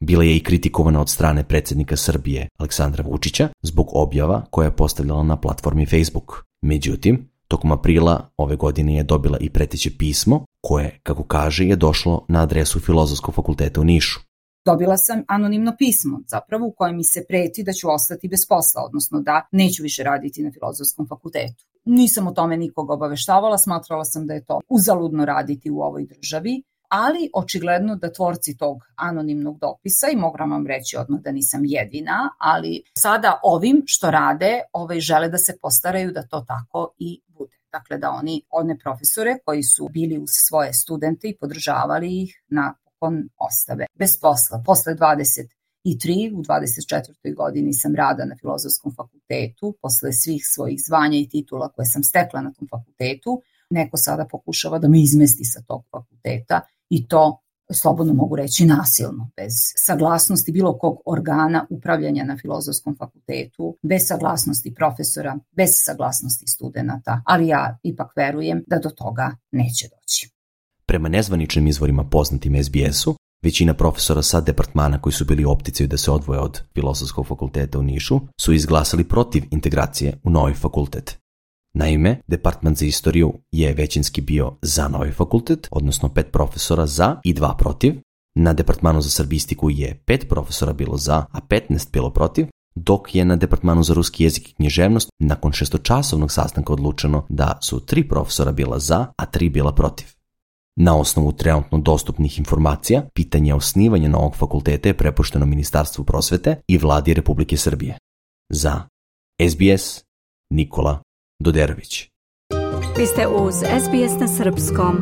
Bila je i kritikovana od strane predsjednika Srbije Aleksandra Vučića zbog objava koja je postavljala na platformi Facebook. Međutim, tokom aprila ove godine je dobila i preteće pismo koje, kako kaže, je došlo na adresu Filozofskog fakulteta u Nišu. Dobila sam anonimno pismo, zapravo u kojem mi se preti da ću ostati bez posla, odnosno da neću više raditi na Filozofskom fakultetu. Nisam o tome nikoga obaveštavala, smatrala sam da je to uzaludno raditi u ovoj državi, ali očigledno da tvorci tog anonimnog dopisa, i mogu vam reći odmah da nisam jedina, ali sada ovim što rade, žele da se postaraju da to tako i bude. Dakle, da one profesore koji su bili uz svoje studente i podržavali ih napokon ostave bez posla. Posle 23, u 24. godini sam rada na Filozofskom fakultetu, posle svih svojih zvanja i titula koje sam stekla na tom fakultetu, neko sada pokušava da me izmesti sa tog fakulteta i to, slobodno mogu reći, nasilno, bez saglasnosti bilo kog organa upravljanja na Filozofskom fakultetu, bez saglasnosti profesora, bez saglasnosti studenata, ali ja ipak verujem da do toga neće doći. Prema nezvaničnim izvorima poznatim SBS-u, većina profesora sa departmana koji su bili u opticaju da se odvoje od Filozofskog fakulteta u Nišu su izglasali protiv integracije u novi fakultet. Naime, departman za istoriju je većinski bio za novi fakultet, odnosno 5 profesora za i 2 protiv. Na departmanu za srbistiku je 5 profesora bilo za, a 15 bilo protiv, dok je na departmanu za ruski jezik i književnost nakon 6-časovnog sastanka odlučeno da su 3 profesora bila za, a 3 bila protiv. Na osnovu trenutno dostupnih informacija, pitanje osnivanja novog fakulteta je prepušteno Ministarstvu prosvete i Vladi Republike Srbije. Za SBS, Nikola Doderović. Vi ste uz SBS na srpskom.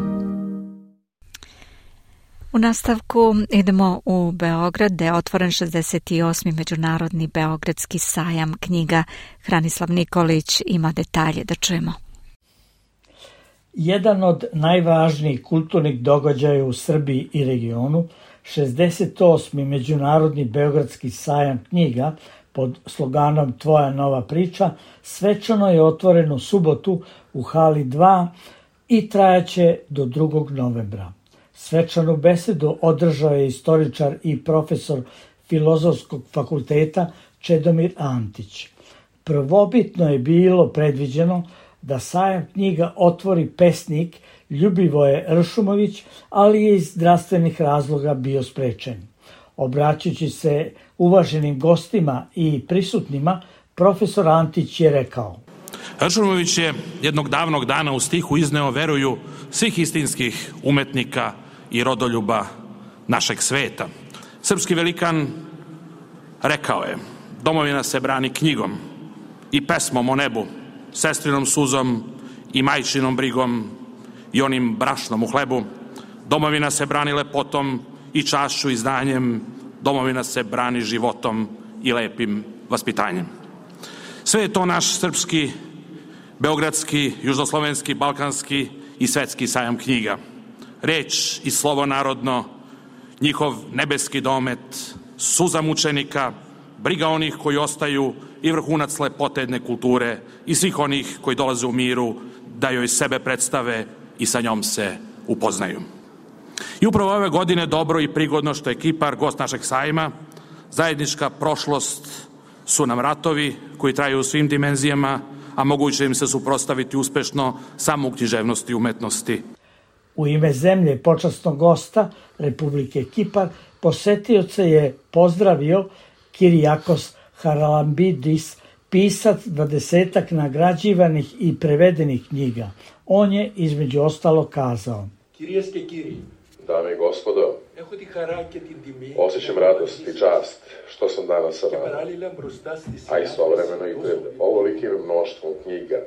U nastavku idemo u Beograd, gde je otvoren 68. Međunarodni beogradski sajam knjiga. Hranislav Nikolić ima detalje, da čujemo. Jedan od najvažnijih kulturnih događaja u Srbiji i regionu, 68. Međunarodni beogradski sajam knjiga pod sloganom Tvoja nova priča, svečano je otvoren u subotu u hali 2 i trajaće do 2. novembra. Svečanu besedu održao je istoričar i profesor Filozofskog fakulteta Čedomir Antić. Prvobitno je bilo predviđeno da sajam knjiga otvori pesnik Ljubivoje Ršumović, ali je iz zdravstvenih razloga bio sprečen. Obraćajući se uvaženim gostima i prisutnima, profesor Antić je rekao: Ršumović je jednog davnog dana u stihu izneo veruju svih istinskih umetnika i rodoljuba našeg sveta. Srpski velikan rekao je: domovina se brani knjigom i pesmom o nebu, sestrinom suzom i majčinom brigom i onim brašnom u hlebu. Domovina se brani lepotom i čašću i znanjem, domovina se brani životom i lepim vaspitanjem. Sve je to naš srpski, beogradski, južnoslovenski, balkanski i svetski sajam knjiga. Reč i slovo narodno, njihov nebeski domet, suza mučenika, briga onih koji ostaju i vrhunac lepote jedne kulture i svih onih koji dolaze u miru da joj sebe predstave i sa njom se upoznaju. I upravo ove godine dobro i prigodno što je Kipar gost našeg sajma, zajednička prošlost su nam ratovi koji traju u svim dimenzijama, a moguće im se suprotstaviti uspešno samo u književnosti i umetnosti. U ime zemlje počasnog gosta Republike Kipar posetioce je pozdravio Kirijakos Haralambidis, pisac 20 nagrađivanih i prevedenih knjiga. On je između ostalo kazao: Dame i gospodo, Osjećam radost i čast što sam danas sa vama, a istovremeno i pred ovolikim mnoštvom knjiga,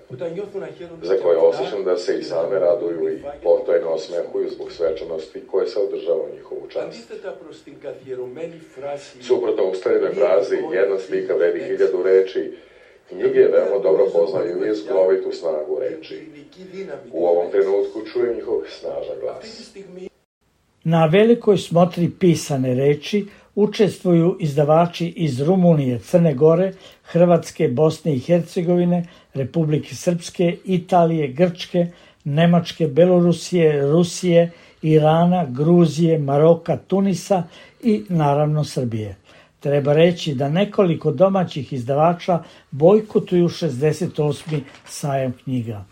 za koje osjećam da se i same raduju i potajno osmehuju zbog svečanosti koje se održava u njihovu čast. Suprotno ustaljenoj frazi, jedna slika vredi 1000 reči, knjige veoma dobro poznaju izglovitu snagu reči. U ovom trenutku čujem njihov snažan glas. Na velikoj smotri pisane reči učestvuju izdavači iz Rumunije, Crne Gore, Hrvatske, Bosne i Hercegovine, Republike Srpske, Italije, Grčke, Nemačke, Belorusije, Rusije, Irana, Gruzije, Maroka, Tunisa i naravno Srbije. Treba reći da nekoliko domaćih izdavača bojkotuju 68. sajam knjiga.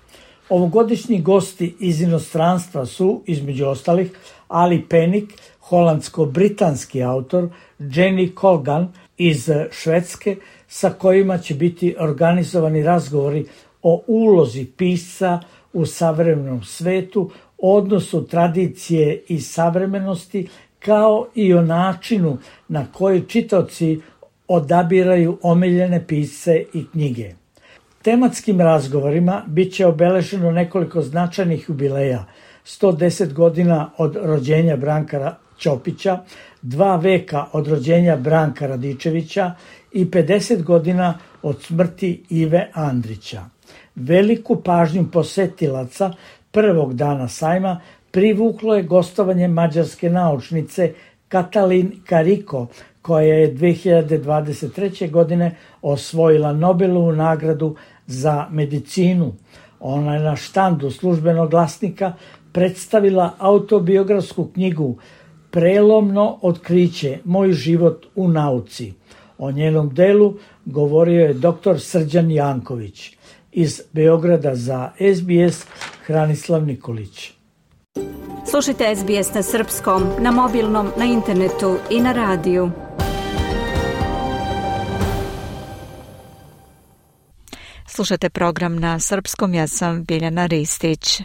Ovogodišnji gosti iz inostranstva su, između ostalih, Ali Penning, holandsko-britanski autor, Jenny Colgan iz Švedske, sa kojima će biti organizovani razgovori o ulozi pisca u savremenom svetu, odnosu tradicije i savremenosti, kao i o načinu na koji čitaoci odabiraju omiljene pisce i knjige. Tematskim razgovorima bit će obeleženo nekoliko značajnih jubileja, 110 godina od rođenja Branka Ćopića, 2 veka od rođenja Branka Radičevića i 50 godina od smrti Ive Andrića. Veliku pažnju posetilaca prvog dana sajma privuklo je gostovanje mađarske naučnice Katalin Kariko, koja je 2023. godine osvojila Nobelovu nagradu za medicinu. Ona je na štandu Službenog glasnika predstavila autobiografsku knjigu Prelomno otkriće, moj život u nauci. O njenom delu govorio je dr. Srđan Janković. Iz Beograda za SBS Hranislav Nikolić. Slušajte SBS na srpskom, na mobilnom, na internetu i na radiju. Slušate program na srpskom, ja sam Biljana Ristić.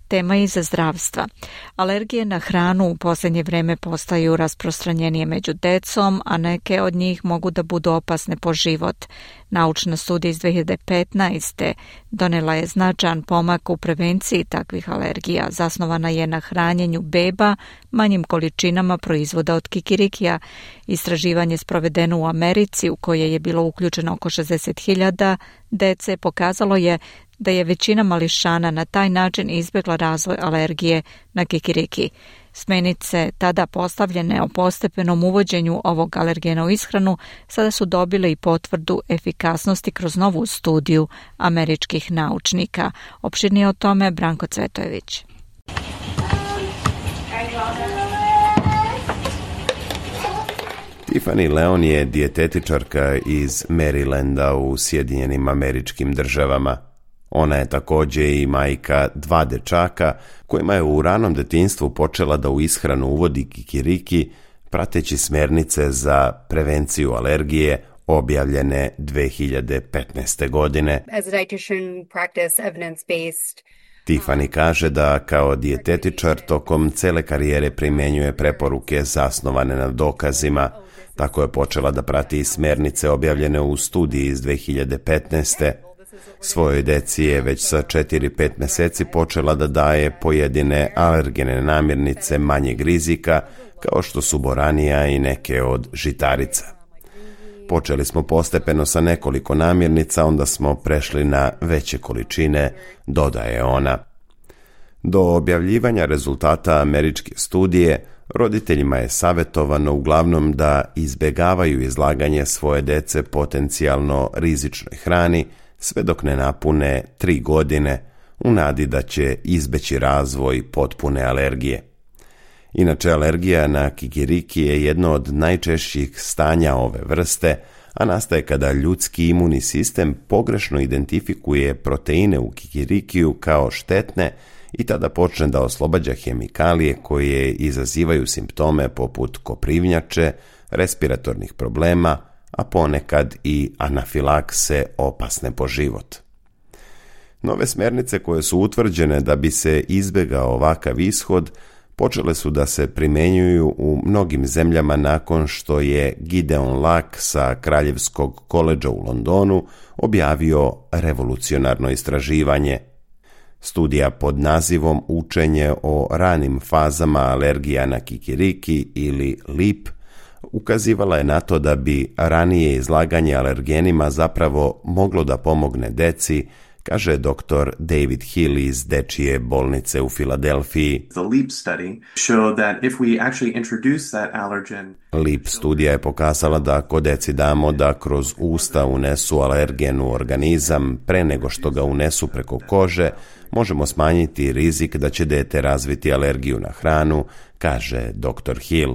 Tema je za zdravstva. Alergije na hranu u posljednje vreme postaju rasprostranjenije među decom, a neke od njih mogu da budu opasne po život. Naučna studija iz 2015. donela je značajan pomak u prevenciji takvih alergija. Zasnovana je na hranjenju beba manjim količinama proizvoda od kikirikija. Istraživanje sprovedeno u Americi, u koje je bilo uključeno oko 60.000 dece, pokazalo je da je većina mališana na taj način izbjegla razvoj alergije na kikiriki. Smjernice tada postavljene o postepenom uvođenju ovog alergena u ishranu sada su dobile i potvrdu efikasnosti kroz novu studiju američkih naučnika. Opširnije o tome Branko Cvetojević. Tiffany Leon je dijetetičarka iz Marylanda u Sjedinjenim Američkim Državama. Ona je također i majka 2 dečaka kojima je u ranom detinjstvu počela da u ishranu uvodi kikiriki, prateći smjernice za prevenciju alergije objavljene 2015. godine. As a dietitian, practice evidence-based. Tiffany kaže da kao dijetetičar tokom cele karijere primjenjuje preporuke zasnovane na dokazima. Tako je počela da prati smjernice objavljene u studiji iz 2015. Svojoj deci je već sa 4-5 mjeseci počela da daje pojedine alergene namirnice manjeg rizika, kao što su boranija i neke od žitarica. Počeli smo postepeno sa nekoliko namirnica, onda smo prešli na veće količine, dodaje ona. Do objavljivanja rezultata američke studije, roditeljima je savjetovano uglavnom da izbjegavaju izlaganje svoje dece potencijalno rizičnoj hrani, sve dok ne napune 3 godine, u nadi da će izbeći razvoj potpune alergije. Inače, alergija na kikiriki je jedno od najčešćih stanja ove vrste, a nastaje kada ljudski imunni sistem pogrešno identifikuje proteine u kikirikiju kao štetne i tada počne da oslobađa hemikalije koje izazivaju simptome poput koprivnjače, respiratornih problema, a ponekad i anafilakse opasne po život. Nove smjernice koje su utvrđene da bi se izbjegao ovakav ishod počele su da se primenjuju u mnogim zemljama nakon što je Gideon Lack sa Kraljevskog koledža u Londonu objavio revolucionarno istraživanje. Studija pod nazivom Učenje o ranim fazama alergija na kikiriki ili LEAP ukazivala je na to da bi ranije izlaganje alergenima zapravo moglo da pomogne deci, kaže dr. David Hill iz Dečije bolnice u Filadelfiji. LEAP studija je pokazala da ako deci damo da kroz usta unesu alergen u organizam pre nego što ga unesu preko kože, možemo smanjiti rizik da će dete razviti alergiju na hranu, kaže dr. Hill.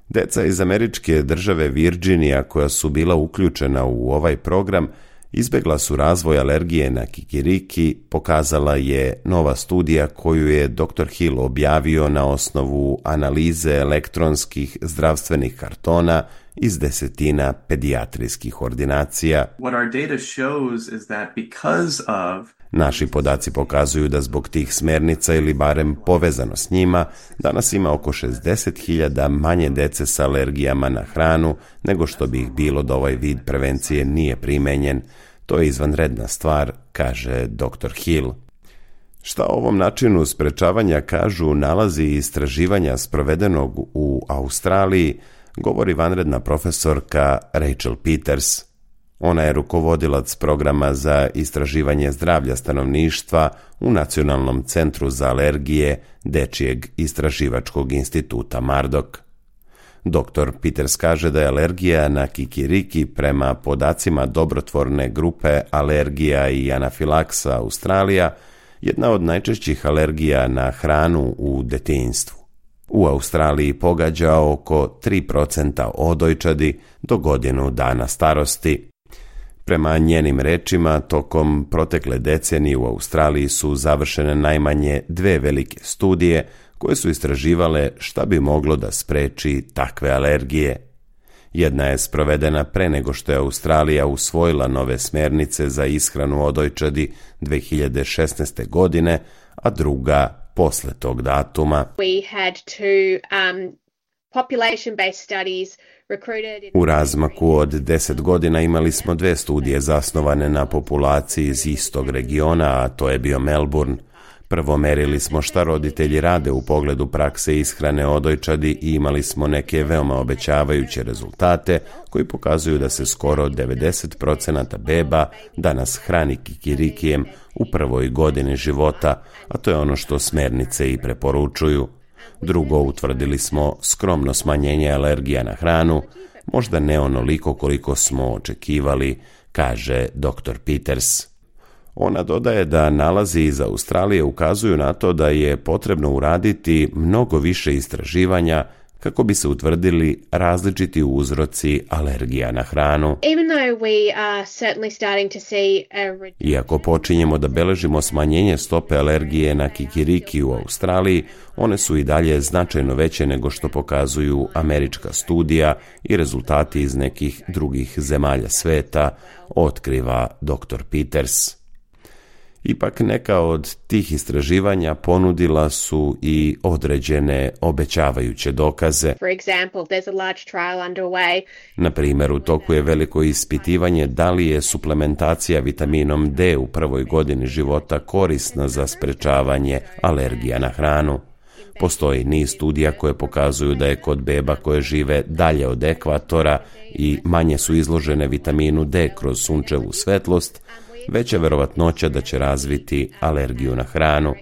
Deca iz američke države Virginija koja su bila uključena u ovaj program izbegla su razvoj alergije na kikiriki, pokazala je nova studija koju je dr. Hill objavio na osnovu analize elektronskih zdravstvenih kartona iz desetina pedijatrijskih ordinacija. Naši podaci pokazuju da zbog tih smernica ili barem povezano s njima, danas ima oko 60.000 manje dece sa alergijama na hranu nego što bi ih bilo da ovaj vid prevencije nije primenjen. To je izvanredna stvar, kaže dr. Hill. Šta o ovom načinu sprečavanja kažu nalazi istraživanja sprovedenog u Australiji, govori vanredna profesorka Rachel Peters. Ona je rukovodilac programa za istraživanje zdravlja stanovništva u Nacionalnom centru za alergije Dečijeg istraživačkog instituta Murdoch. Dr. Peters kaže da je alergija na kikiriki prema podacima dobrotvorne grupe alergija i anafilaksa Australija jedna od najčešćih alergija na hranu u detinjstvu. U Australiji pogađa oko 3% odojčadi do godinu dana starosti. Prema njenim rečima, tokom protekle decenije u Australiji su završene najmanje 2 velike studije koje su istraživale šta bi moglo da spreči takve alergije. Jedna je sprovedena pre nego što je Australija usvojila nove smernice za ishranu odojčadi 2016. godine, a druga posle tog datuma. U razmaku od 10 godina imali smo 2 studije zasnovane na populaciji iz istog regiona, a to je bio Melbourne. Prvo merili smo šta roditelji rade u pogledu prakse ishrane odojčadi i imali smo neke veoma obećavajuće rezultate koji pokazuju da se skoro 90% beba danas hrani kikirikijem u prvoj godini života, a to je ono što smernice i preporučuju. Drugo, utvrdili smo skromno smanjenje alergija na hranu, možda ne onoliko koliko smo očekivali, kaže dr. Peters. Ona dodaje da nalazi iz Australije ukazuju na to da je potrebno uraditi mnogo više istraživanja kako bi se utvrdili različiti uzroci alergija na hranu. Iako počinjemo da beležimo smanjenje stope alergije na kikiriki u Australiji, one su i dalje značajno veće nego što pokazuju američka studija i rezultati iz nekih drugih zemalja sveta, otkriva dr. Peters. Ipak neka od tih istraživanja ponudila su i određene obećavajuće dokaze. Na primjer, u toku je veliko ispitivanje da li je suplementacija vitaminom D u prvoj godini života korisna za sprečavanje alergija na hranu. Postoji niz studija koje pokazuju da je kod beba koje žive dalje od ekvatora i manje su izložene vitaminu D kroz sunčevu svetlost, veća verovatnoća da će razviti alergiju na hranu.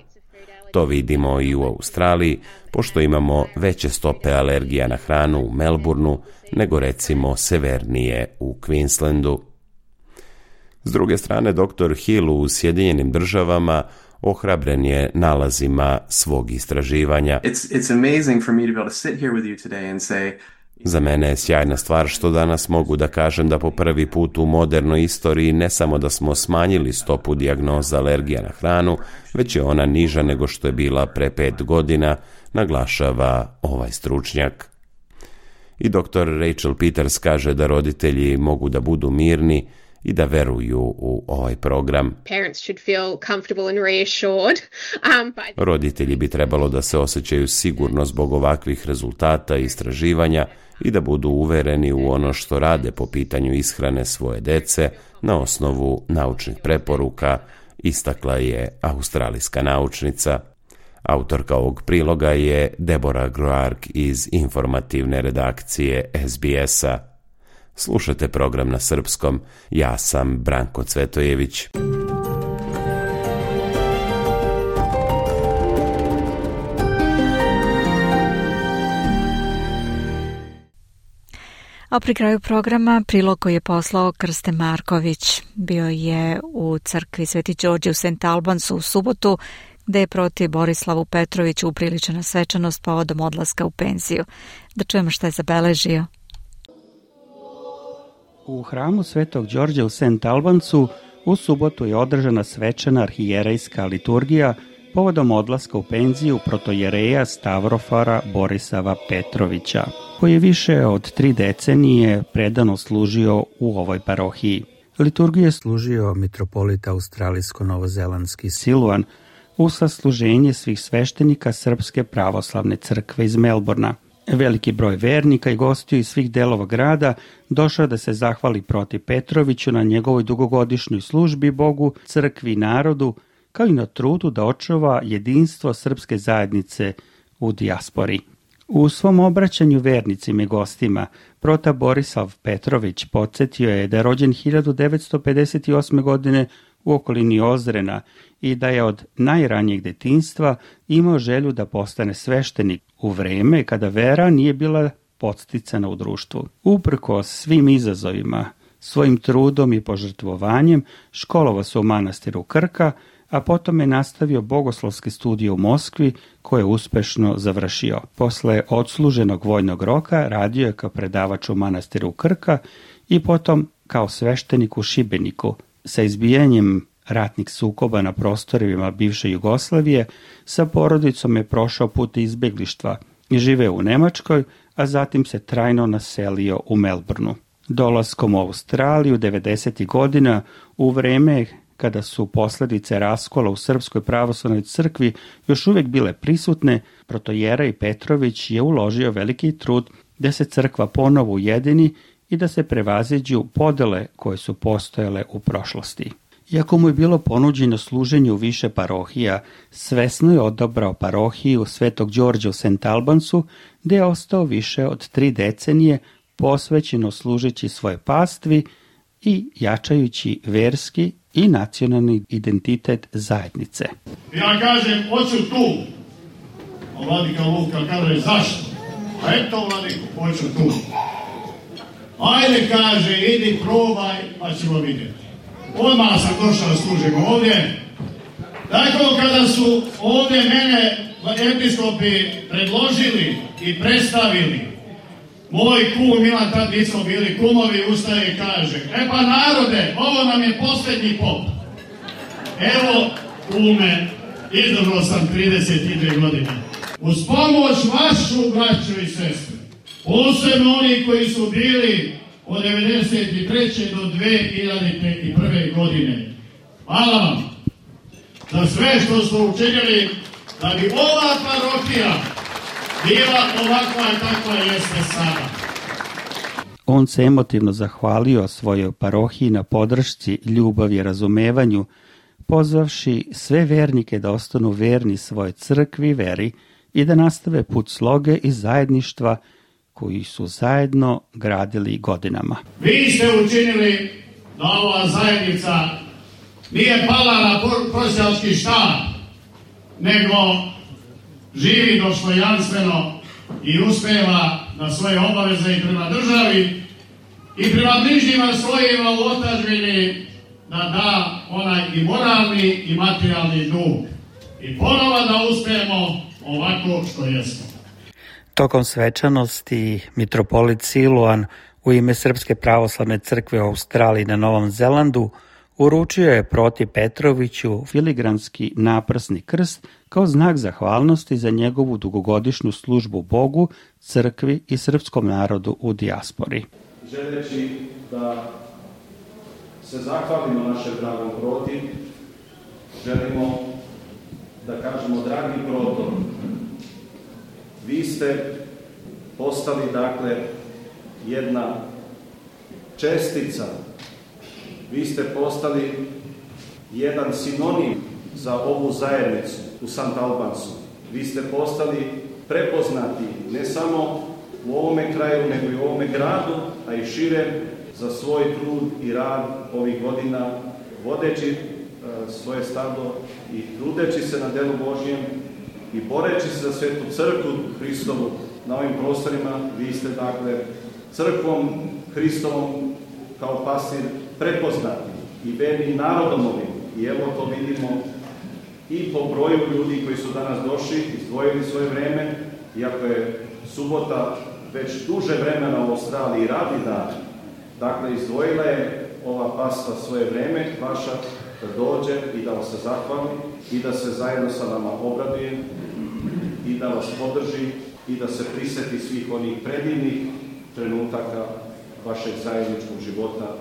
To vidimo i u Australiji, pošto imamo veće stope alergija na hranu u Melbourneu nego recimo severnije u Queenslandu. S druge strane, dr. Hill u Sjedinjenim Državama ohrabren je nalazima svog istraživanja. Za mene je sjajna stvar što danas mogu da kažem da po prvi put u modernoj istoriji ne samo da smo smanjili stopu dijagnoza alergija na hranu, već je ona niža nego što je bila pre 5 godina, naglašava ovaj stručnjak. I dr. Rachel Peters kaže da roditelji mogu da budu mirni, i da veruju u ovaj program. Parents should feel comfortable and reassured. Roditelji bi trebalo da se osjećaju sigurno zbog ovakvih rezultata i istraživanja i da budu uvereni u ono što rade po pitanju ishrane svoje dece na osnovu naučnih preporuka, istakla je australijska naučnica. Autorka ovog priloga je Deborah Groark iz informativne redakcije SBS-a. Slušajte program na srpskom, ja sam Branko Cvetojević. A pri kraju programa prilog koji je poslao Krste Marković. Bio je u crkvi Sveti Đorđe u St. Albansu u subotu, gde je proti Borislavu Petroviću upriličena svečanost povodom odlaska u penziju. Da čujemo šta je zabeležio. U hramu Svetog Đorđa u St. Albansu u subotu je održana svečana arhijerejska liturgija povodom odlaska u penziju protojereja Stavrofara Borisava Petrovića, koji je više od 3 decenije predano služio u ovoj parohiji. Liturgiju je služio mitropolit australijsko-novozelandski Siluan u sasluženje svih sveštenika Srpske pravoslavne crkve iz Melbourna. Veliki broj vernika i gostiju iz svih delova grada došao da se zahvali proti Petroviću na njegovoj dugogodišnjoj službi Bogu, crkvi i narodu, kao i na trudu da očuva jedinstvo srpske zajednice u dijaspori. U svom obraćanju vernicima i gostima, prota Borislav Petrović podsjetio je da je rođen 1958. godine u okolini Ozrena i da je od najranijeg detinjstva imao želju da postane sveštenik u vreme kada vera nije bila podsticana u društvu. Uprkos svim izazovima, svojim trudom i požrtvovanjem školovao se u manastiru Krka, a potom je nastavio bogoslovske studije u Moskvi koje je uspešno završio. Posle odsluženog vojnog roka radio je kao predavač u manastiru Krka i potom kao sveštenik u Šibeniku. Sa izbijanjem ratnih sukoba na prostorima bivše Jugoslavije, sa porodicom je prošao put izbeglištva i živeo u Nemačkoj, a zatim se trajno naselio u Melbourneu. Dolaskom u Australiju 90. godina, u vreme kada su posljedice raskola u Srpskoj pravoslavnoj crkvi još uvijek bile prisutne, protojerej Petrović je uložio veliki trud da se crkva ponovo ujedini i da se prevaziđu podele koje su postojale u prošlosti. Iako mu je bilo ponuđeno služenje u više parohija, svesno je odabrao parohiju Svetog Đorđa u St. Albansu, gde je ostao više od 3 decenije posvećeno služeći svoje pastvi i jačajući verski i nacionalni identitet zajednice. Ja kažem, hoću tu. A vladika Luka kaže, zašto? A eto, vladiko, hoću tu. Ajde, kaže, idi, probaj, pa ćemo vidjeti. Odmah sam došao da služim ovdje. Tako, kada su ovdje mene episkopi predložili i predstavili, moj kum Milan, tad nismo bili kumovi, ustaje i kaže, pa narode, ovo nam je posljednji pop. Evo, kume, izdržao sam 32 godine. Uz pomoć vašu, braćo i sestre, posebno oni koji su bili od 1993. do 2001. godine. Hvala vam za sve što ste učinili da bi ova parohija bila ovakva i takva jeste sada. On se emotivno zahvalio svojoj parohiji na podršci, ljubavi i razumevanju, pozvavši sve vernike da ostanu verni svojoj crkvi i veri i da nastave put sloge i zajedništva koji su zajedno gradili godinama. Vi ste učinili da ova zajednica nije pala na prosjački štap, nego živi dostojanstveno i uspeva na svoje obaveze i prema državi i prema bližnjima svojima u otadžbini da da onaj i moralni i materijalni dug. I ponovo da uspijemo ovako što jesmo. Tokom svečanosti mitropolit Siluan u ime Srpske pravoslavne crkve u Australiji na Novom Zelandu uručio je proti Petroviću filigranski naprsni krst kao znak zahvalnosti za njegovu dugogodišnju službu Bogu, crkvi i srpskom narodu u dijaspori. Želeći da se zahvalimo našem dragom Proti, želimo da kažemo, dragi Proto, vi ste postali, dakle, jedna čestica, vi ste postali jedan sinonim za ovu zajednicu u Sant Albansu. Vi ste postali prepoznati ne samo u ovome kraju, nego i u ovome gradu, a i šire, za svoj trud i rad ovih godina, vodeći svoje stado i trudeći se na delu Božjem i boreći se za svetu crkvu Hristovu na ovim prostorima. Vi ste, dakle, crkvom Hristovom kao pastir prepoznati i verni narodom ovim. I evo to vidimo i po broju ljudi koji su danas došli, izdvojili svoje vreme, iako je subota već duže vremena u Australiji radi dan. Dakle, izdvojila je ova pasta svoje vreme, vaša, da dođe i da vas se zahvali i da se zajedno sa vama obraduje i da vas podrži i da se priseti svih onih predivnih trenutaka vašeg zajedničkog života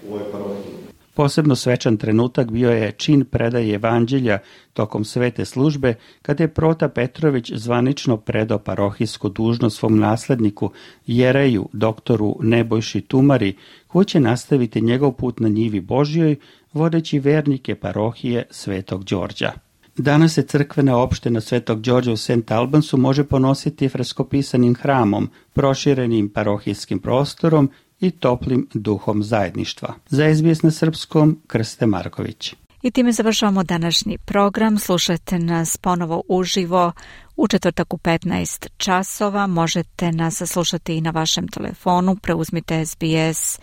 u ovoj parohiji. Posebno svečan trenutak bio je čin predaje evanđelja tokom svete službe, kada je Prota Petrović zvanično predao parohijsku dužnost svom nasledniku, jereju, doktoru Nebojši Tumari, koji će nastaviti njegov put na njivi Božjoj, vodeći vernike parohije Svetog Đorđa. Danas se crkvena opština Svetog Đorđa u St. Albansu može ponositi freskopisanim hramom, proširenim parohijskim prostorom i toplim duhom zajedništva. Za SBS na srpskom, Krste Marković. I time završavamo današnji program. Slušajte nas ponovo uživo u četvrtak u 15 časova. Možete nas slušati i na vašem telefonu. Preuzmite SBS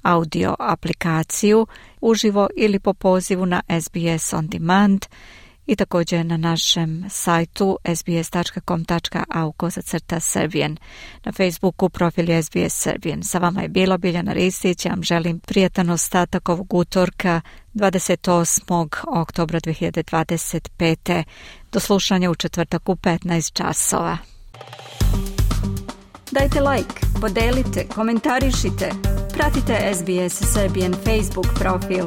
audio aplikaciju uživo ili po pozivu na SBS On Demand i također na našem sajtu sbs.com.au/Serbian. Na Facebooku profil je SBS Serbian. Sa vama je bila Biljana Ristić. Ja vam želim prijatan ostatak ovog utorka 28. oktobra 2025. Do slušanja u četvrtak u 15 časova. Dajte like, podelite, komentarišite. Pratite SBS Serbian Facebook profil.